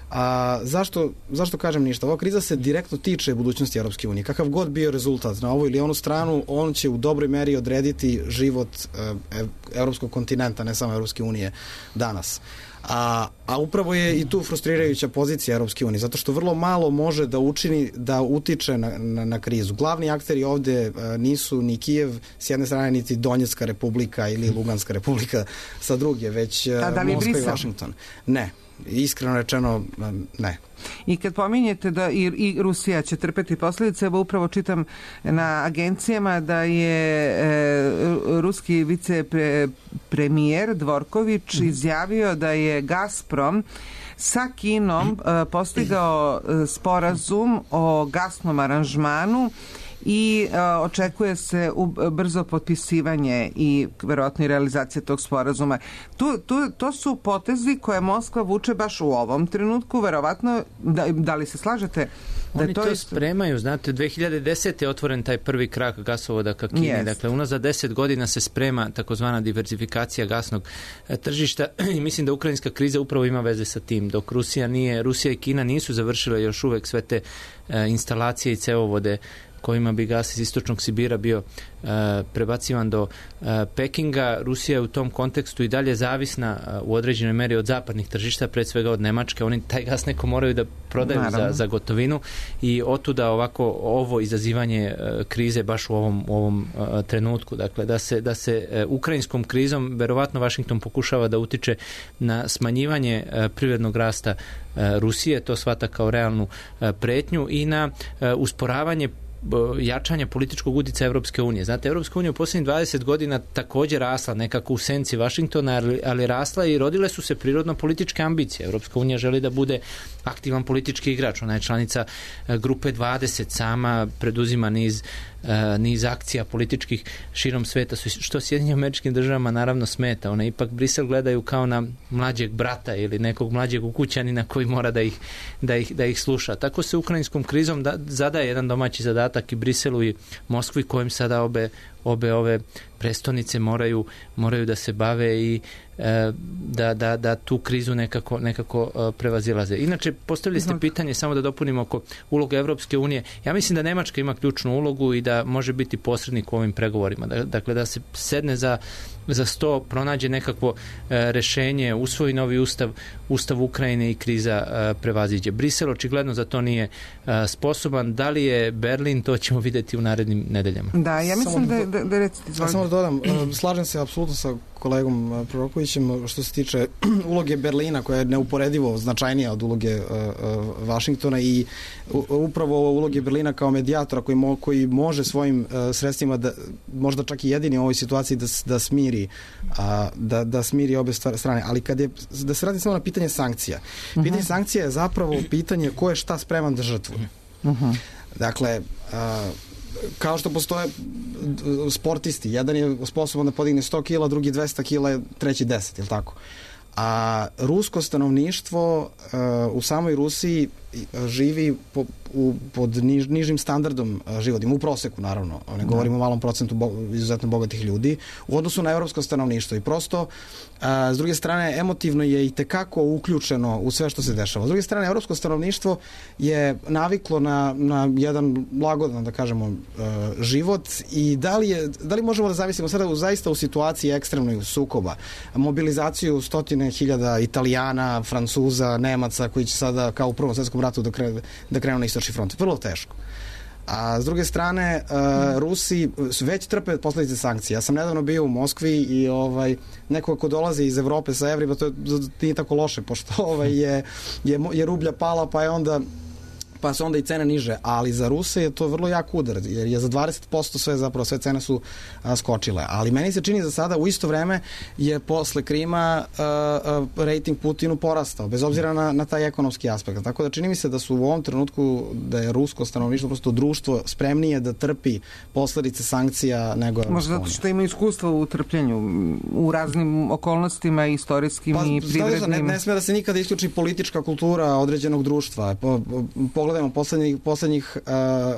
A zašto, zašto kažem ništa? Ova kriza se direktno tiče budućnosti Europske unije. Kakav god bio rezultat na ovu ili onu stranu, on će u dobroj meri odrediti život e, evropskog kontinenta, ne samo Europske unije danas. A, a upravo je i tu frustrirajuća pozicija Europske unije, zato što vrlo malo može da učini da utiče na, na, na krizu. Glavni akteri ovde a, nisu ni Kijev s jedne strane, niti Donjecka republika ili Luganska republika sa druge, već a, Moskva i Washington. Ne. Iskreno rečeno, ne. I kad pominjete da i, i Rusija će trpeti posljedice, evo upravo čitam na agencijama da je e, ruski vicepremijer Dvorković mm-hmm. izjavio da je Gazprom sa Kinom e, postigao e, sporazum o gasnom aranžmanu i e, očekuje se u, brzo potpisivanje i verovatno i realizacija tog sporazuma. Tu, tu, to su potezi koje Moskva vuče baš u ovom trenutku, verovatno, da, da li se slažete? Da Oni to, to isto... spremaju, znate, dve hiljade desete je otvoren taj prvi krak gasovoda ka Kini, yes. Dakle, unazad deset godina se sprema takozvana diverzifikacija gasnog tržišta i mislim da ukrajinska kriza upravo ima veze sa tim, dok Rusija nije, Rusija i Kina nisu završile još uvek sve te e, instalacije i cevovode kojima bi gas iz istočnog Sibira bio uh, prebacivan do uh, Pekinga. Rusija je u tom kontekstu i dalje zavisna uh, u određenoj meri od zapadnih tržišta, pred svega od Nemačke. Oni taj gas neko moraju da prodaju za, za gotovinu i otuda ovako ovo izazivanje uh, krize baš u ovom, u ovom uh, trenutku. Dakle, da se, da se uh, ukrajinskom krizom verovatno Washington pokušava da utiče na smanjivanje uh, privrednog rasta uh, Rusije, to shvata kao realnu uh, pretnju i na uh, usporavanje jačanja političkog uticaja Evropske unije. Znate, Evropska unija u posljednjih dvadeset godina također rasla nekako u senci Vašingtona, ali, ali rasla i rodile su se prirodno političke ambicije. Evropska unija želi da bude aktivan politički igrač. Ona je članica grupe dvadeset, sama preduzima niz Uh, niz akcija političkih širom sveta, što Sjedinjenim Američkim Državama naravno smeta. One ipak Brisel gledaju kao na mlađeg brata ili nekog mlađeg ukućanina koji mora da ih, da ih, da ih sluša. Tako se ukrajinskom krizom da, zadaje jedan domaći zadatak i Briselu i Moskvi, kojim sada obe, obe ove prestonice moraju, moraju da se bave i e, da, da, da tu krizu nekako, nekako e, prevazilaze. Inače, postavili ste pitanje, samo da dopunimo oko uloga Evropske unije. Ja mislim da Nemačka ima ključnu ulogu i da može biti posrednik u ovim pregovorima. Dakle, da se sedne za, za sto, pronađe nekakvo e, rešenje, usvoji novi ustav, ustav Ukrajine i kriza e, prevaziđe. Brisel očigledno za to nije e, sposoban. Da li je Berlin, to ćemo vidjeti u narednim nedeljama. Da, ja mislim da, da, da recite, ja samo da dodam, slažem se apsolutno sa kolegom Prorokovićem što se tiče uloge Berlina, koja je neuporedivo značajnija od uloge uh, uh, Vašingtona i u, upravo uloge Berlina kao medijatora koji, mo, koji može svojim uh, sredstvima da, možda čak i jedini u ovoj situaciji da, da smiri uh, da, da smiri obe strane, ali kad je, da se radi samo na pitanje sankcija. Uh-huh. Pitanje sankcija je zapravo pitanje ko je šta spreman da žrtvuje. Uh-huh. Dakle, uh, kao što postoje sportisti, jedan je sposoban da podigne sto kila, drugi dvesta kila, treći deset, je li tako? A rusko stanovništvo uh, u samoj Rusiji živi po, u, pod niž, nižim standardom životnim, u proseku naravno, ne govorimo o malom procentu bo, izuzetno bogatih ljudi, u odnosu na evropsko stanovništvo i prosto a, s druge strane emotivno je i tekako uključeno u sve što se dešava. S druge strane, evropsko stanovništvo je naviklo na, na jedan lagodan, da kažemo, a, život i da li, je, da li možemo da zavisimo sada u, zaista u situaciji ekstremnoj sukoba, mobilizaciju stotine hiljada Italijana, Francuza, Nemaca koji će sada kao u Prvom svetskom ratu da, kre, da krenu na istočni front. Vrlo teško. A s druge strane, uh, Rusi već trpe posledice sankcija. Ja sam nedavno bio u Moskvi i ovaj, neko ko dolazi iz Evrope sa evrima, to nije tako loše, pošto ovaj, je, je, je rublja pala, pa je onda pa su onda i cene niže, ali za Ruse je to vrlo jak udar, jer je za dvadeset posto sve, zapravo sve cene su a, skočile. Ali meni se čini za sada, u isto vreme je posle Krima a, a, rating Putinu porastao, bez obzira na, na taj ekonomski aspekt. Tako da čini mi se da su u ovom trenutku, da je rusko stanovništvo, prosto društvo spremnije da trpi posledice sankcija nego Evropska unija. Možda zato što ima iskustva u trpljenju, u raznim okolnostima, istorijskim pa, i privrednim. Ne, ne sme da se nikada isključi politička kultura određenog društva. Po, po, Pogledajmo, poslednjih, poslednjih,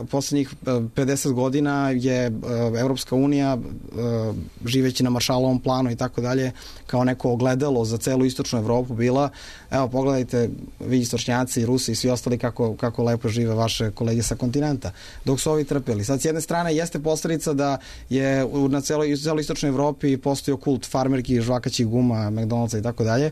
uh, poslednjih pedeset godina je uh, Evropska unija, uh, živeći na Maršalovom planu i tako dalje, kao neko ogledalo za celu istočnu Evropu bila. Evo, pogledajte, vi istočnjaci, Rusi i svi ostali kako, kako lepo žive vaše kolege sa kontinenta, dok su ovi trpeli. Sad, s jedne strane, jeste posledica da je na celoj, celoj istočnoj Evropi postojao kult farmerki, žvakaćih guma, McDonald'sa i tako dalje,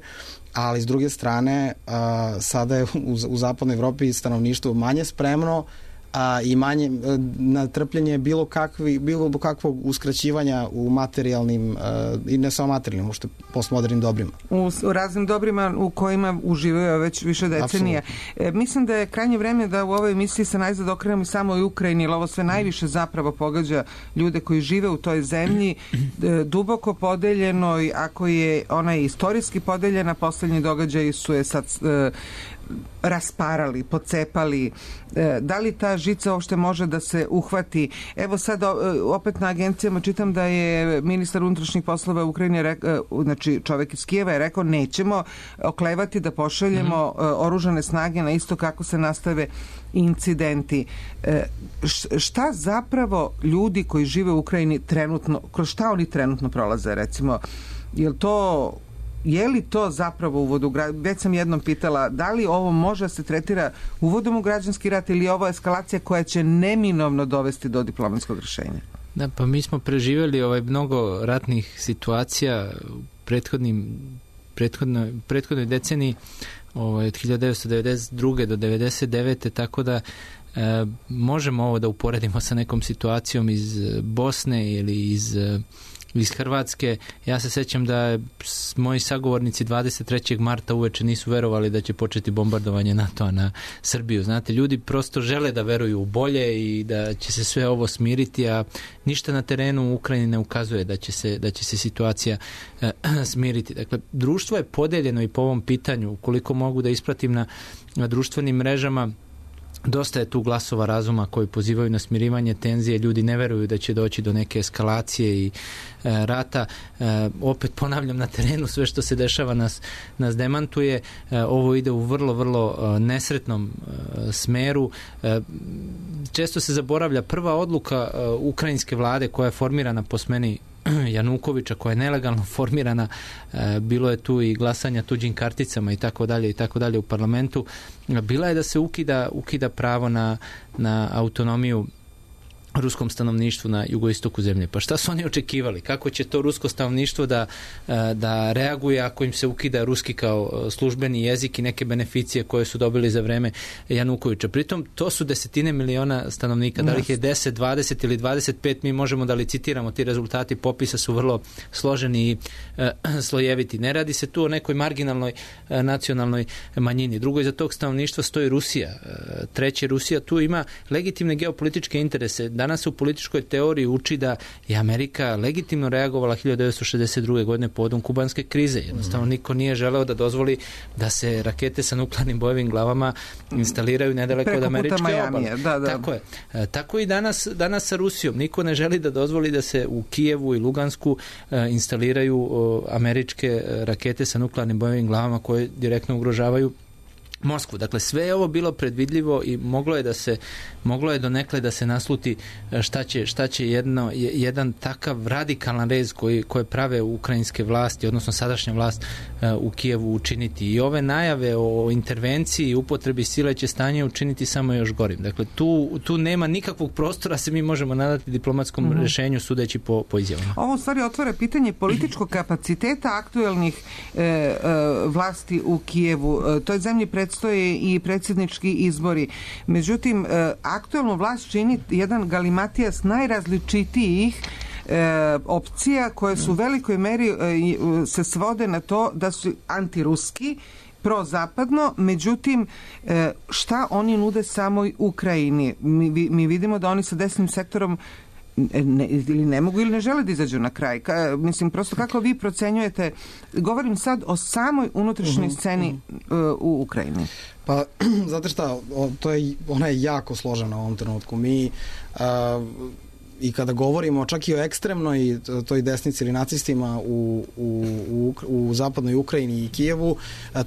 ali s druge strane a, sada je u, u zapadnoj Evropi stanovništvo manje spremno a, i manje a, na trpljenje bilo, kakvi, bilo kakvog uskraćivanja u materijalnim a, i ne samo materijalnim, uopšte postmodernim dobrima. U, u raznim dobrima u kojima uživaju već više decenija. E, mislim da je krajnje vreme da u ovoj emisiji se najzad okrenemo i samo i Ukrajini, jer ovo sve najviše zapravo pogađa ljude koji žive u toj zemlji, e, duboko podeljenoj, ako je ona je istorijski podeljena, poslednji događaji su je sad e, rasparali, pocepali. E, da li ta žica uopšte može da se uhvati? Evo sad opet na agencijama čitam da je ministar unutrašnjih poslova Ukrajine, rekao, znači čovek iz Kijeva je rekao nećemo oklevati da pošaljemo mm-hmm. oružane snage na isto kako se nastave incidenti. E, šta zapravo ljudi koji žive u Ukrajini trenutno, kroz šta oni trenutno prolaze, recimo, je li to Je li to zapravo uvod u građanski... Već sam jednom pitala, da li ovo može da se tretira uvodom u građanski rat ili je ovo eskalacija koja će neminovno dovesti do diplomatskog rešenja? Da, pa mi smo preživjeli ovaj mnogo ratnih situacija u prethodnim, prethodnoj, prethodnoj deceniji ovaj, od hiljadu devetsto devedeset druge do devedeset devete tako da e, možemo ovo da uporedimo sa nekom situacijom iz Bosne ili iz iz Hrvatske. Ja se sećam da moji sagovornici dvadeset trećeg marta uveče nisu verovali da će početi bombardovanje NATO-a na Srbiju. Znate, ljudi prosto žele da veruju u bolje i da će se sve ovo smiriti, a ništa na terenu u Ukrajini ne ukazuje da će se, da će se situacija eh, smiriti. Dakle, društvo je podeljeno i po ovom pitanju. Ukoliko mogu da ispratim na, na društvenim mrežama, dosta je tu glasova razuma koji pozivaju na smirivanje tenzije, ljudi ne veruju da će doći do neke eskalacije i e, rata. E, opet ponavljam, na terenu sve što se dešava nas, nas demantuje. E, ovo ide u vrlo, vrlo e, nesretnom e, smeru. E, često se zaboravlja prva odluka e, ukrajinske vlade koja je formirana po smeni Janukovića, koja je nelegalno formirana, e, bilo je tu i glasanja tuđim karticama i tako dalje i tako dalje u parlamentu, bila je da se ukida, ukida pravo na, na autonomiju ruskom stanovništvu na jugoistoku zemlje. Pa šta su oni očekivali? Kako će to rusko stanovništvo da, da reaguje ako im se ukida ruski kao službeni jezik i neke beneficije koje su dobili za vreme Janukovića? Pritom, to su desetine miliona stanovnika. Da li ih je deset, dvadeset ili dvadeset pet, mi možemo da licitiramo. Ti rezultati popisa su vrlo složeni i e, slojeviti. Ne radi se tu o nekoj marginalnoj e, nacionalnoj manjini. Drugo, iza tog stanovništva stoji Rusija. E, treće, Rusija tu ima legitimne geopolitičke interese. Danas se u političkoj teoriji uči da je Amerika legitimno reagovala hiljadu devetsto šezdeset druge godine povodom kubanske krize. Jednostavno niko nije želeo da dozvoli da se rakete sa nuklearnim bojevim glavama instaliraju nedaleko od američke obale. Da, da. Tako je. E, tako i danas, danas sa Rusijom. Niko ne želi da dozvoli da se u Kijevu i Lugansku e, instaliraju o, američke rakete sa nuklearnim bojevim glavama koje direktno ugrožavaju Moskvu. Dakle, sve je ovo bilo predvidljivo i moglo je da se moglo je donekle da se nasluti šta će, šta će jedno, jedan takav radikalan rez koji, koje prave ukrajinske vlasti, odnosno sadašnja vlast u Kijevu učiniti. I ove najave o intervenciji i upotrebi sile će stanje učiniti samo još gorim. Dakle, tu, tu nema nikakvog prostora se mi možemo nadati diplomatskom mm-hmm. rešenju sudeći po, po izjavama. Ovo u stvari otvara pitanje političkog kapaciteta aktuelnih e, e, vlasti u Kijevu. E, toj zemlji predstoje i predsjednički izbori. Međutim, e, aktuelnu vlast čini jedan galimatijas najrazličitijih e, opcija koje su u velikoj meri e, se svode na to da su antiruski, prozapadno, međutim e, šta oni nude samoj Ukrajini? Mi, mi vidimo da oni sa desnim sektorom ne, ili ne mogu ili ne žele da izađu na kraj. Ka, mislim, prosto kako vi procenjujete, govorim sad o samoj unutrašnjoj sceni uh, u Ukrajini. Pa, znate šta, to je, ona je jako složena u ovom trenutku. Mi uh, i kada govorimo čak i o ekstremnoj toj desnici ili nacistima u, u, u, u zapadnoj Ukrajini i Kijevu,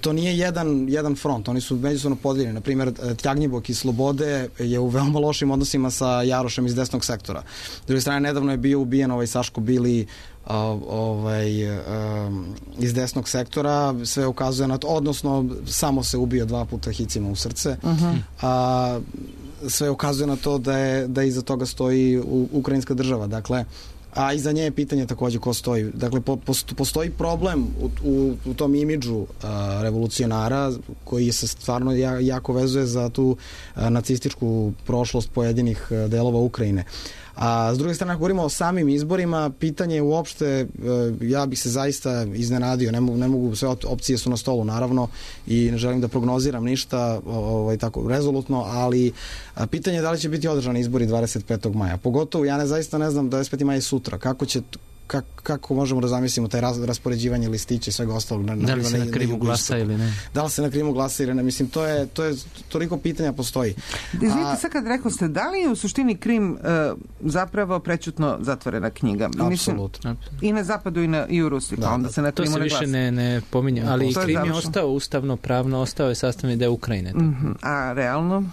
to nije jedan, jedan front, oni su međusobno podijeljeni. Na primjer, Tjagnjibok iz Slobode je u veoma lošim odnosima sa Jarošem iz desnog sektora. S druge strane, nedavno je bio ubijen ovaj Saško Bili Uh, ovaj, um, iz desnog sektora, sve ukazuje na to, odnosno samo se ubio dva puta hicima u srce, uh-huh. a sve ukazuje na to da je da iza toga stoji u, ukrajinska država, dakle, a iza nje je pitanje takođe ko stoji. Dakle, po, postoji problem u, u, u tom imidžu uh, revolucionara koji se stvarno ja, jako vezuje za tu uh, nacističku prošlost pojedinih uh, delova Ukrajine. A s druge strane, ako govorimo o samim izborima, pitanje uopšte, ja bih se zaista iznenadio, ne mogu, ne mogu, sve opcije su na stolu naravno i ne želim da prognoziram ništa ovaj, tako rezolutno, ali pitanje je da li će biti održani izbori dvadeset petog maja. Pogotovo, ja ne zaista ne znam, dvadeset petog maja je sutra, kako će Kako, kako možemo da zamislimo taj raz, raspoređivanje listića i svega ostalog. Na, da li se na, na krimu glasa ili ne? Da li se na krimu glasa ili ne? Mislim, to je, to je toliko pitanja postoji. Izvinite, sad kad rekao ste, da li je u suštini Krim uh, zapravo prećutno zatvorena knjiga? Apsolutno. I na zapadu i, na, i u Rusiji, pa da, onda se na Krimu ne glasa. To se više ne, ne pominje, ali Krim je, je ostao ustavno, pravno, ostao je sastavni deo Ukrajine. Mm-hmm. A realno?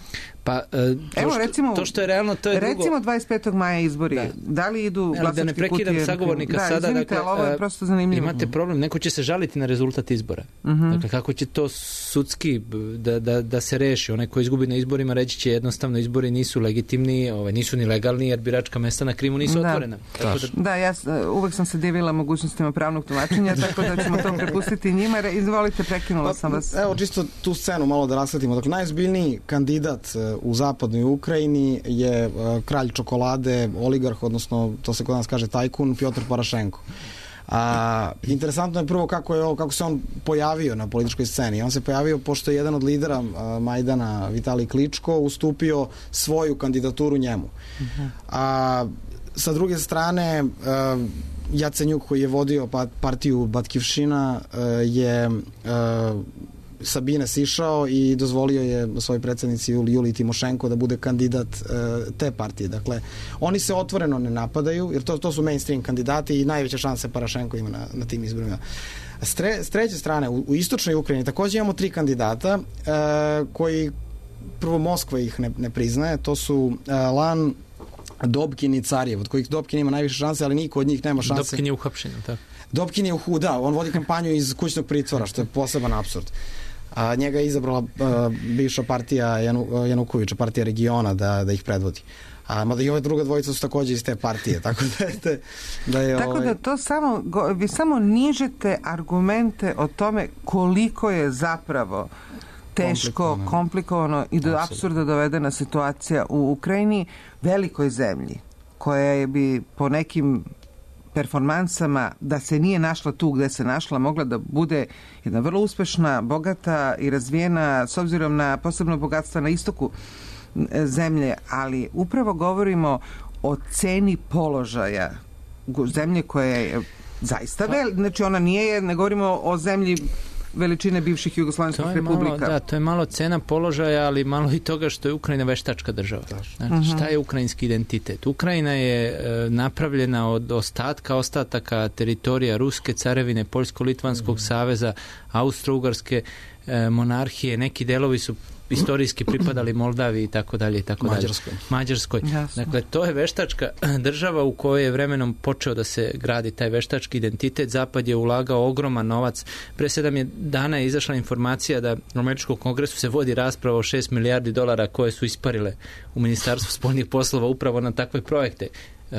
Pa, to, Evo, što, recimo, to što je realno, to je recimo drugo. dvadeset petog maja izbori. Da, da li idu glasačke kutije? Da ne prekidam sagovornika da, sada. Izvinite, dakle, ovo je prosto zanimljivo. Imate problem, neko će se žaliti na rezultat izbora. Uh-huh. Dakle, kako će to sudski da, da, da se reši? Onaj ko izgubi na izborima reći će jednostavno izbori nisu legitimni, ovaj, nisu ni legalni jer biračka mesta na Krimu nisu da. otvorena. Tako da... da, ja uvek sam se divila mogućnostima pravnog tumačenja, tako da ćemo to prepustiti njima. Izvolite, prekinula sam vas. Evo, čisto tu scenu malo da rasvetimo. Dakle, najozbiljniji kandidat u zapadnoj Ukrajini je uh, kralj čokolade, oligarh, odnosno to se kod nas kaže tajkun, Pjotr Parašenko. A, interesantno je prvo kako, je ovo, kako se on pojavio na političkoj sceni. On se pojavio pošto je jedan od lidera uh, Majdana, Vitalij Kličko, ustupio svoju kandidaturu njemu. Uh-huh. A sa druge strane, uh, Jacenjuk koji je vodio partiju Batkivšina uh, je uh, Sabine sišao i dozvolio je svojoj predsjednici Juliji Timošenko da bude kandidat e, te partije. Dakle, oni se otvoreno ne napadaju, jer to, to su mainstream kandidati i najveće šanse Parašenko ima na, na tim izborima. S, tre, s treće strane, u, u istočnoj Ukrajini također imamo tri kandidata e, koji, prvo Moskva ih ne, ne priznaje, to su e, Lan, Dobkin i Carjev, od kojih Dobkin ima najviše šanse, ali niko od njih nema šanse. Dobkin je uhapšen, tako? Dobkin je u da, on vodi kampanju iz kućnog pritvora, što je poseban apsurd. A njega je izabrala a, bivša partija Janu, Janukovića, partija regiona, da, da ih predvodi. A mada i ove druga dvojica su takođe iz te partije, tako da je, da je tako ovaj... da to samo, vi samo nižete argumente o tome koliko je zapravo teško, komplikovano, komplikovano i do apsurda dovedena situacija u Ukrajini, velikoj zemlji, koja je bi po nekim performansama, da se nije našla tu gde se našla, mogla da bude jedna vrlo uspešna, bogata i razvijena, s obzirom na posebno bogatstva na istoku zemlje, ali upravo govorimo o ceni položaja zemlje koja je zaista vel, znači ona nije, ne govorimo o zemlji veličine bivših jugoslovenskih republika. Malo, da, to je malo cena položaja, ali malo i toga što je Ukrajina veštačka država. Znači, uh-huh. Šta je ukrajinski identitet? Ukrajina je e, napravljena od ostatka, ostataka teritorija Ruske carevine, Poljsko-Litvanskog uh-huh. saveza, Austro-Ugarske e, monarhije, neki delovi su istorijski pripadali Moldaviji i tako dalje i tako Mađarskoj. dalje. Mađarskoj. Jasno. Dakle, to je veštačka država u kojoj je vremenom počeo da se gradi taj veštački identitet. Zapad je ulagao ogroman novac. Pre sedam je dana je izašla informacija da u Američkom kongresu se vodi rasprava o šest milijardi dolara koje su isparile u Ministarstvu spoljnih poslova upravo na takve projekte.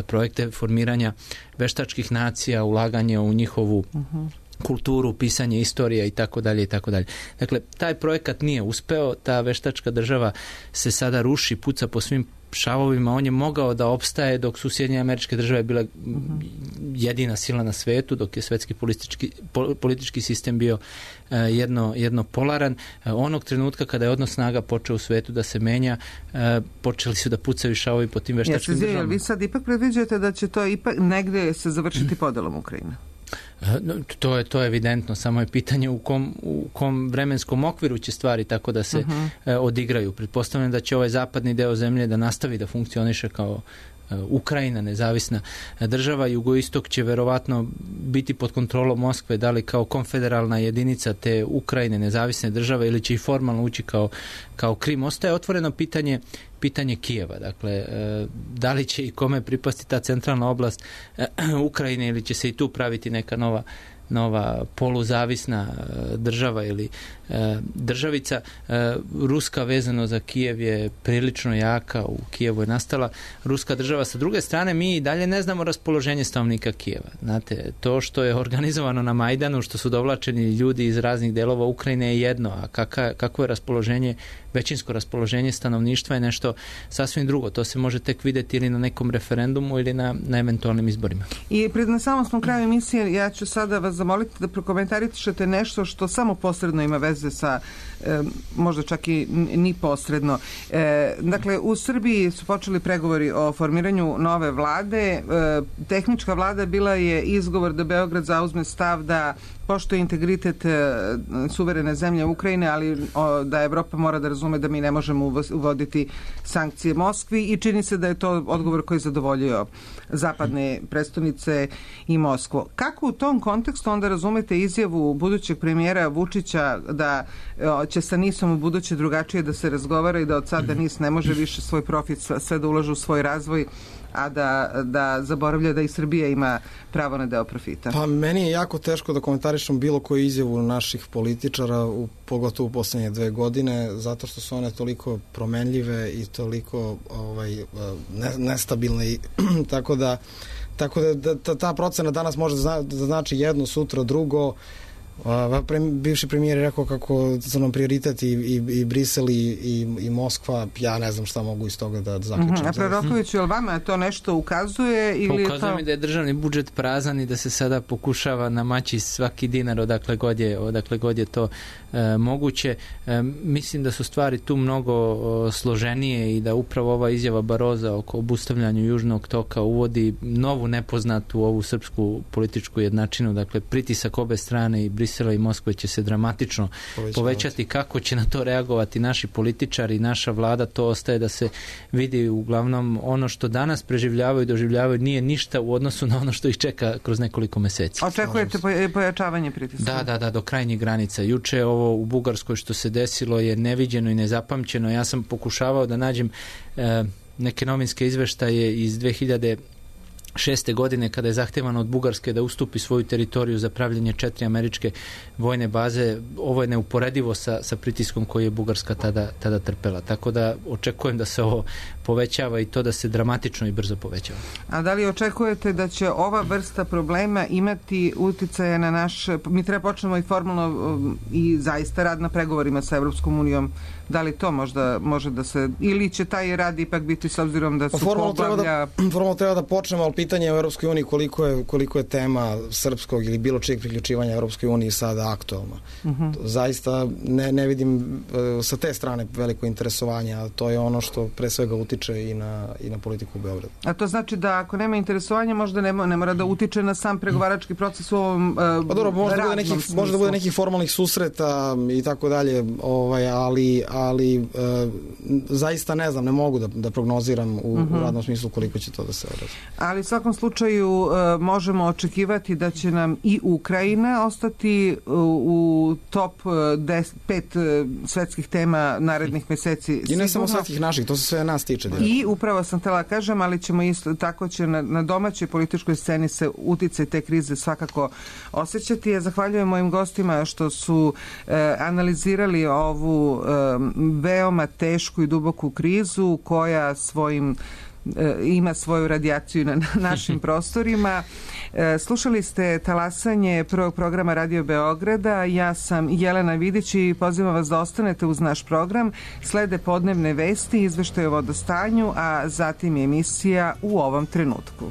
Projekte formiranja veštačkih nacija, ulaganje u njihovu uh-huh. kulturu, pisanje istorija i tako dalje i tako dalje. Dakle, taj projekat nije uspeo, ta veštačka država se sada ruši, puca po svim šavovima, on je mogao da opstaje dok su Sjedinjene Američke Države bila uh-huh. jedina sila na svetu, dok je svetski politički, politički sistem bio uh, jedno, jedno polaran. Uh, onog trenutka kada je odnos snaga počeo u svetu da se menja, uh, počeli su da pucaju šavovi po tim veštačkim ja, državama. Vi sad ipak predviđate da će to ipak negde se završiti podelom Ukrajine? To je, to je evidentno, samo je pitanje u kom, u kom vremenskom okviru će stvari tako da se uh-huh. e, odigraju. Pretpostavljam da će ovaj zapadni deo zemlje da nastavi da funkcioniše kao e, Ukrajina, nezavisna država. Jugoistok će verovatno biti pod kontrolom Moskve, da li kao konfederalna jedinica te Ukrajine, nezavisne države, ili će i formalno ući kao, kao Krim. Ostaje otvoreno pitanje pitanje Kijeva, dakle, da li će i kome pripasti ta centralna oblast Ukrajine ili će se i tu praviti neka nova nova poluzavisna država ili državica. Ruska vezano za Kijev je prilično jaka, u Kijevu je nastala ruska država. Sa druge strane, mi i dalje ne znamo raspoloženje stanovnika Kijeva. Znate, to što je organizovano na Majdanu, što su dovlačeni ljudi iz raznih delova Ukrajine je jedno, a kaka, kako je raspoloženje, većinsko raspoloženje stanovništva je nešto sasvim drugo. To se može tek videti ili na nekom referendumu ili na, na eventualnim izborima. I pred na samom smo kraju emisije, ja ću sada vas zamoliti da prokomentarišete nešto što samo posredno ima veze sa, e, možda čak i ni posredno. E, dakle, u Srbiji su počeli pregovori o formiranju nove vlade. E, tehnička vlada bila je izgovor da Beograd zauzme stav da poštuje integritet e, suverene zemlje Ukrajine, ali o, da Evropa mora da razume da mi ne možemo uvoditi sankcije Moskvi, i čini se da je to odgovor koji je zadovoljio zapadne prestonice i Moskvu. Kako u tom kontekstu onda razumete izjavu budućeg premijera Vučića da o, će sa Nisom u buduće drugačije da se razgovara i da od sada Nis ne može više svoj profit sve da ulaže u svoj razvoj, a da, da zaboravlja da i Srbija ima pravo na deo profita? Pa meni je jako teško da komentarišem bilo koju izjavu naših političara, u, pogotovo u poslednje dve godine, zato što su one toliko promenljive i toliko ovaj, ne, nestabilne i tako da tako da, da ta procena danas može da, zna, da znači jedno, sutra drugo. Uh, bivši premijer je rekao kako su nam prioritet i, i, i Brisel i, i, i Moskva. Ja ne znam šta mogu iz toga da, da zaključim. Uh-huh. A Proroković, je li vama to nešto ukazuje? Ili ukazuje to... mi da je državni budžet prazan i da se sada pokušava namaći svaki dinar odakle god je, odakle god je to e, moguće. E, mislim da su stvari tu mnogo o, složenije i da upravo ova izjava Baroza oko obustavljanju Južnog toka uvodi novu nepoznatu ovu srpsku političku jednačinu. Dakle, pritisak obe strane i Brisela i Moskve će se dramatično povećati. povećati. Kako će na to reagovati naši političari i naša vlada, to ostaje da se vidi. Uglavnom, ono što danas preživljavaju i doživljavaju nije ništa u odnosu na ono što ih čeka kroz nekoliko meseci. Očekujete pojačavanje pritiska? Da, da, da, do krajnjih granica. Juče ovo u Bugarskoj što se desilo je neviđeno i nezapamćeno. Ja sam pokušavao da nađem e, neke novinske izveštaje iz dve hiljade šeste godine kada je zahtevano od Bugarske da ustupi svoju teritoriju za pravljenje četiri američke vojne baze. Ovo je neuporedivo sa, sa pritiskom koji je Bugarska tada, tada trpela. Tako da očekujem da se ovo povećava i to da se dramatično i brzo povećava. A da li očekujete da će ova vrsta problema imati uticaje na naš... Mi treba počnemo i formalno i zaista rad na pregovorima sa Evropskom unijom. Da li to možda može da se... Ili će taj rad ipak biti s obzirom da su formalno poglavlja... Treba da, formalno treba da počnemo, ali pitanje u Evropskoj uniji koliko je, koliko je tema srpskog ili bilo čijeg priključivanja Evropskoj uniji sada aktualna. Uh-huh. Zaista ne, ne vidim uh, sa te strane veliko interesovanje, a to je ono što pre svega utiče i na, i na politiku u Beogradu. A to znači da ako nema interesovanja možda ne, ne mora da utiče na sam pregovarački proces u ovom uh, pa dobro, može da bude nekih, može da bude nekih formalnih susreta i tako dalje, ovaj, ali ali uh, zaista ne znam, ne mogu da, da prognoziram u, uh-huh. u radnom smislu koliko će to da se odrazi. Ali u svakom slučaju uh, možemo očekivati da će nam i Ukrajina ostati u, u top des, pet uh, svetskih tema narednih meseci. I ne samo svetskih naših, to se sve nas tiče. Direktno. I upravo sam htjela kažem, ali ćemo isto tako će na, na domaćoj političkoj sceni se uticaj te krize svakako osjećati. Ja zahvaljujem mojim gostima što su uh, analizirali ovu uh, veoma tešku i duboku krizu koja svojim ima svoju radijaciju na našim prostorima. Slušali ste talasanje prvog programa Radio Beograda. Ja sam Jelena Vidić i pozivam vas da ostanete uz naš program. Slede podnevne vesti, izveštaje o vodostanju, a zatim emisija U ovom trenutku.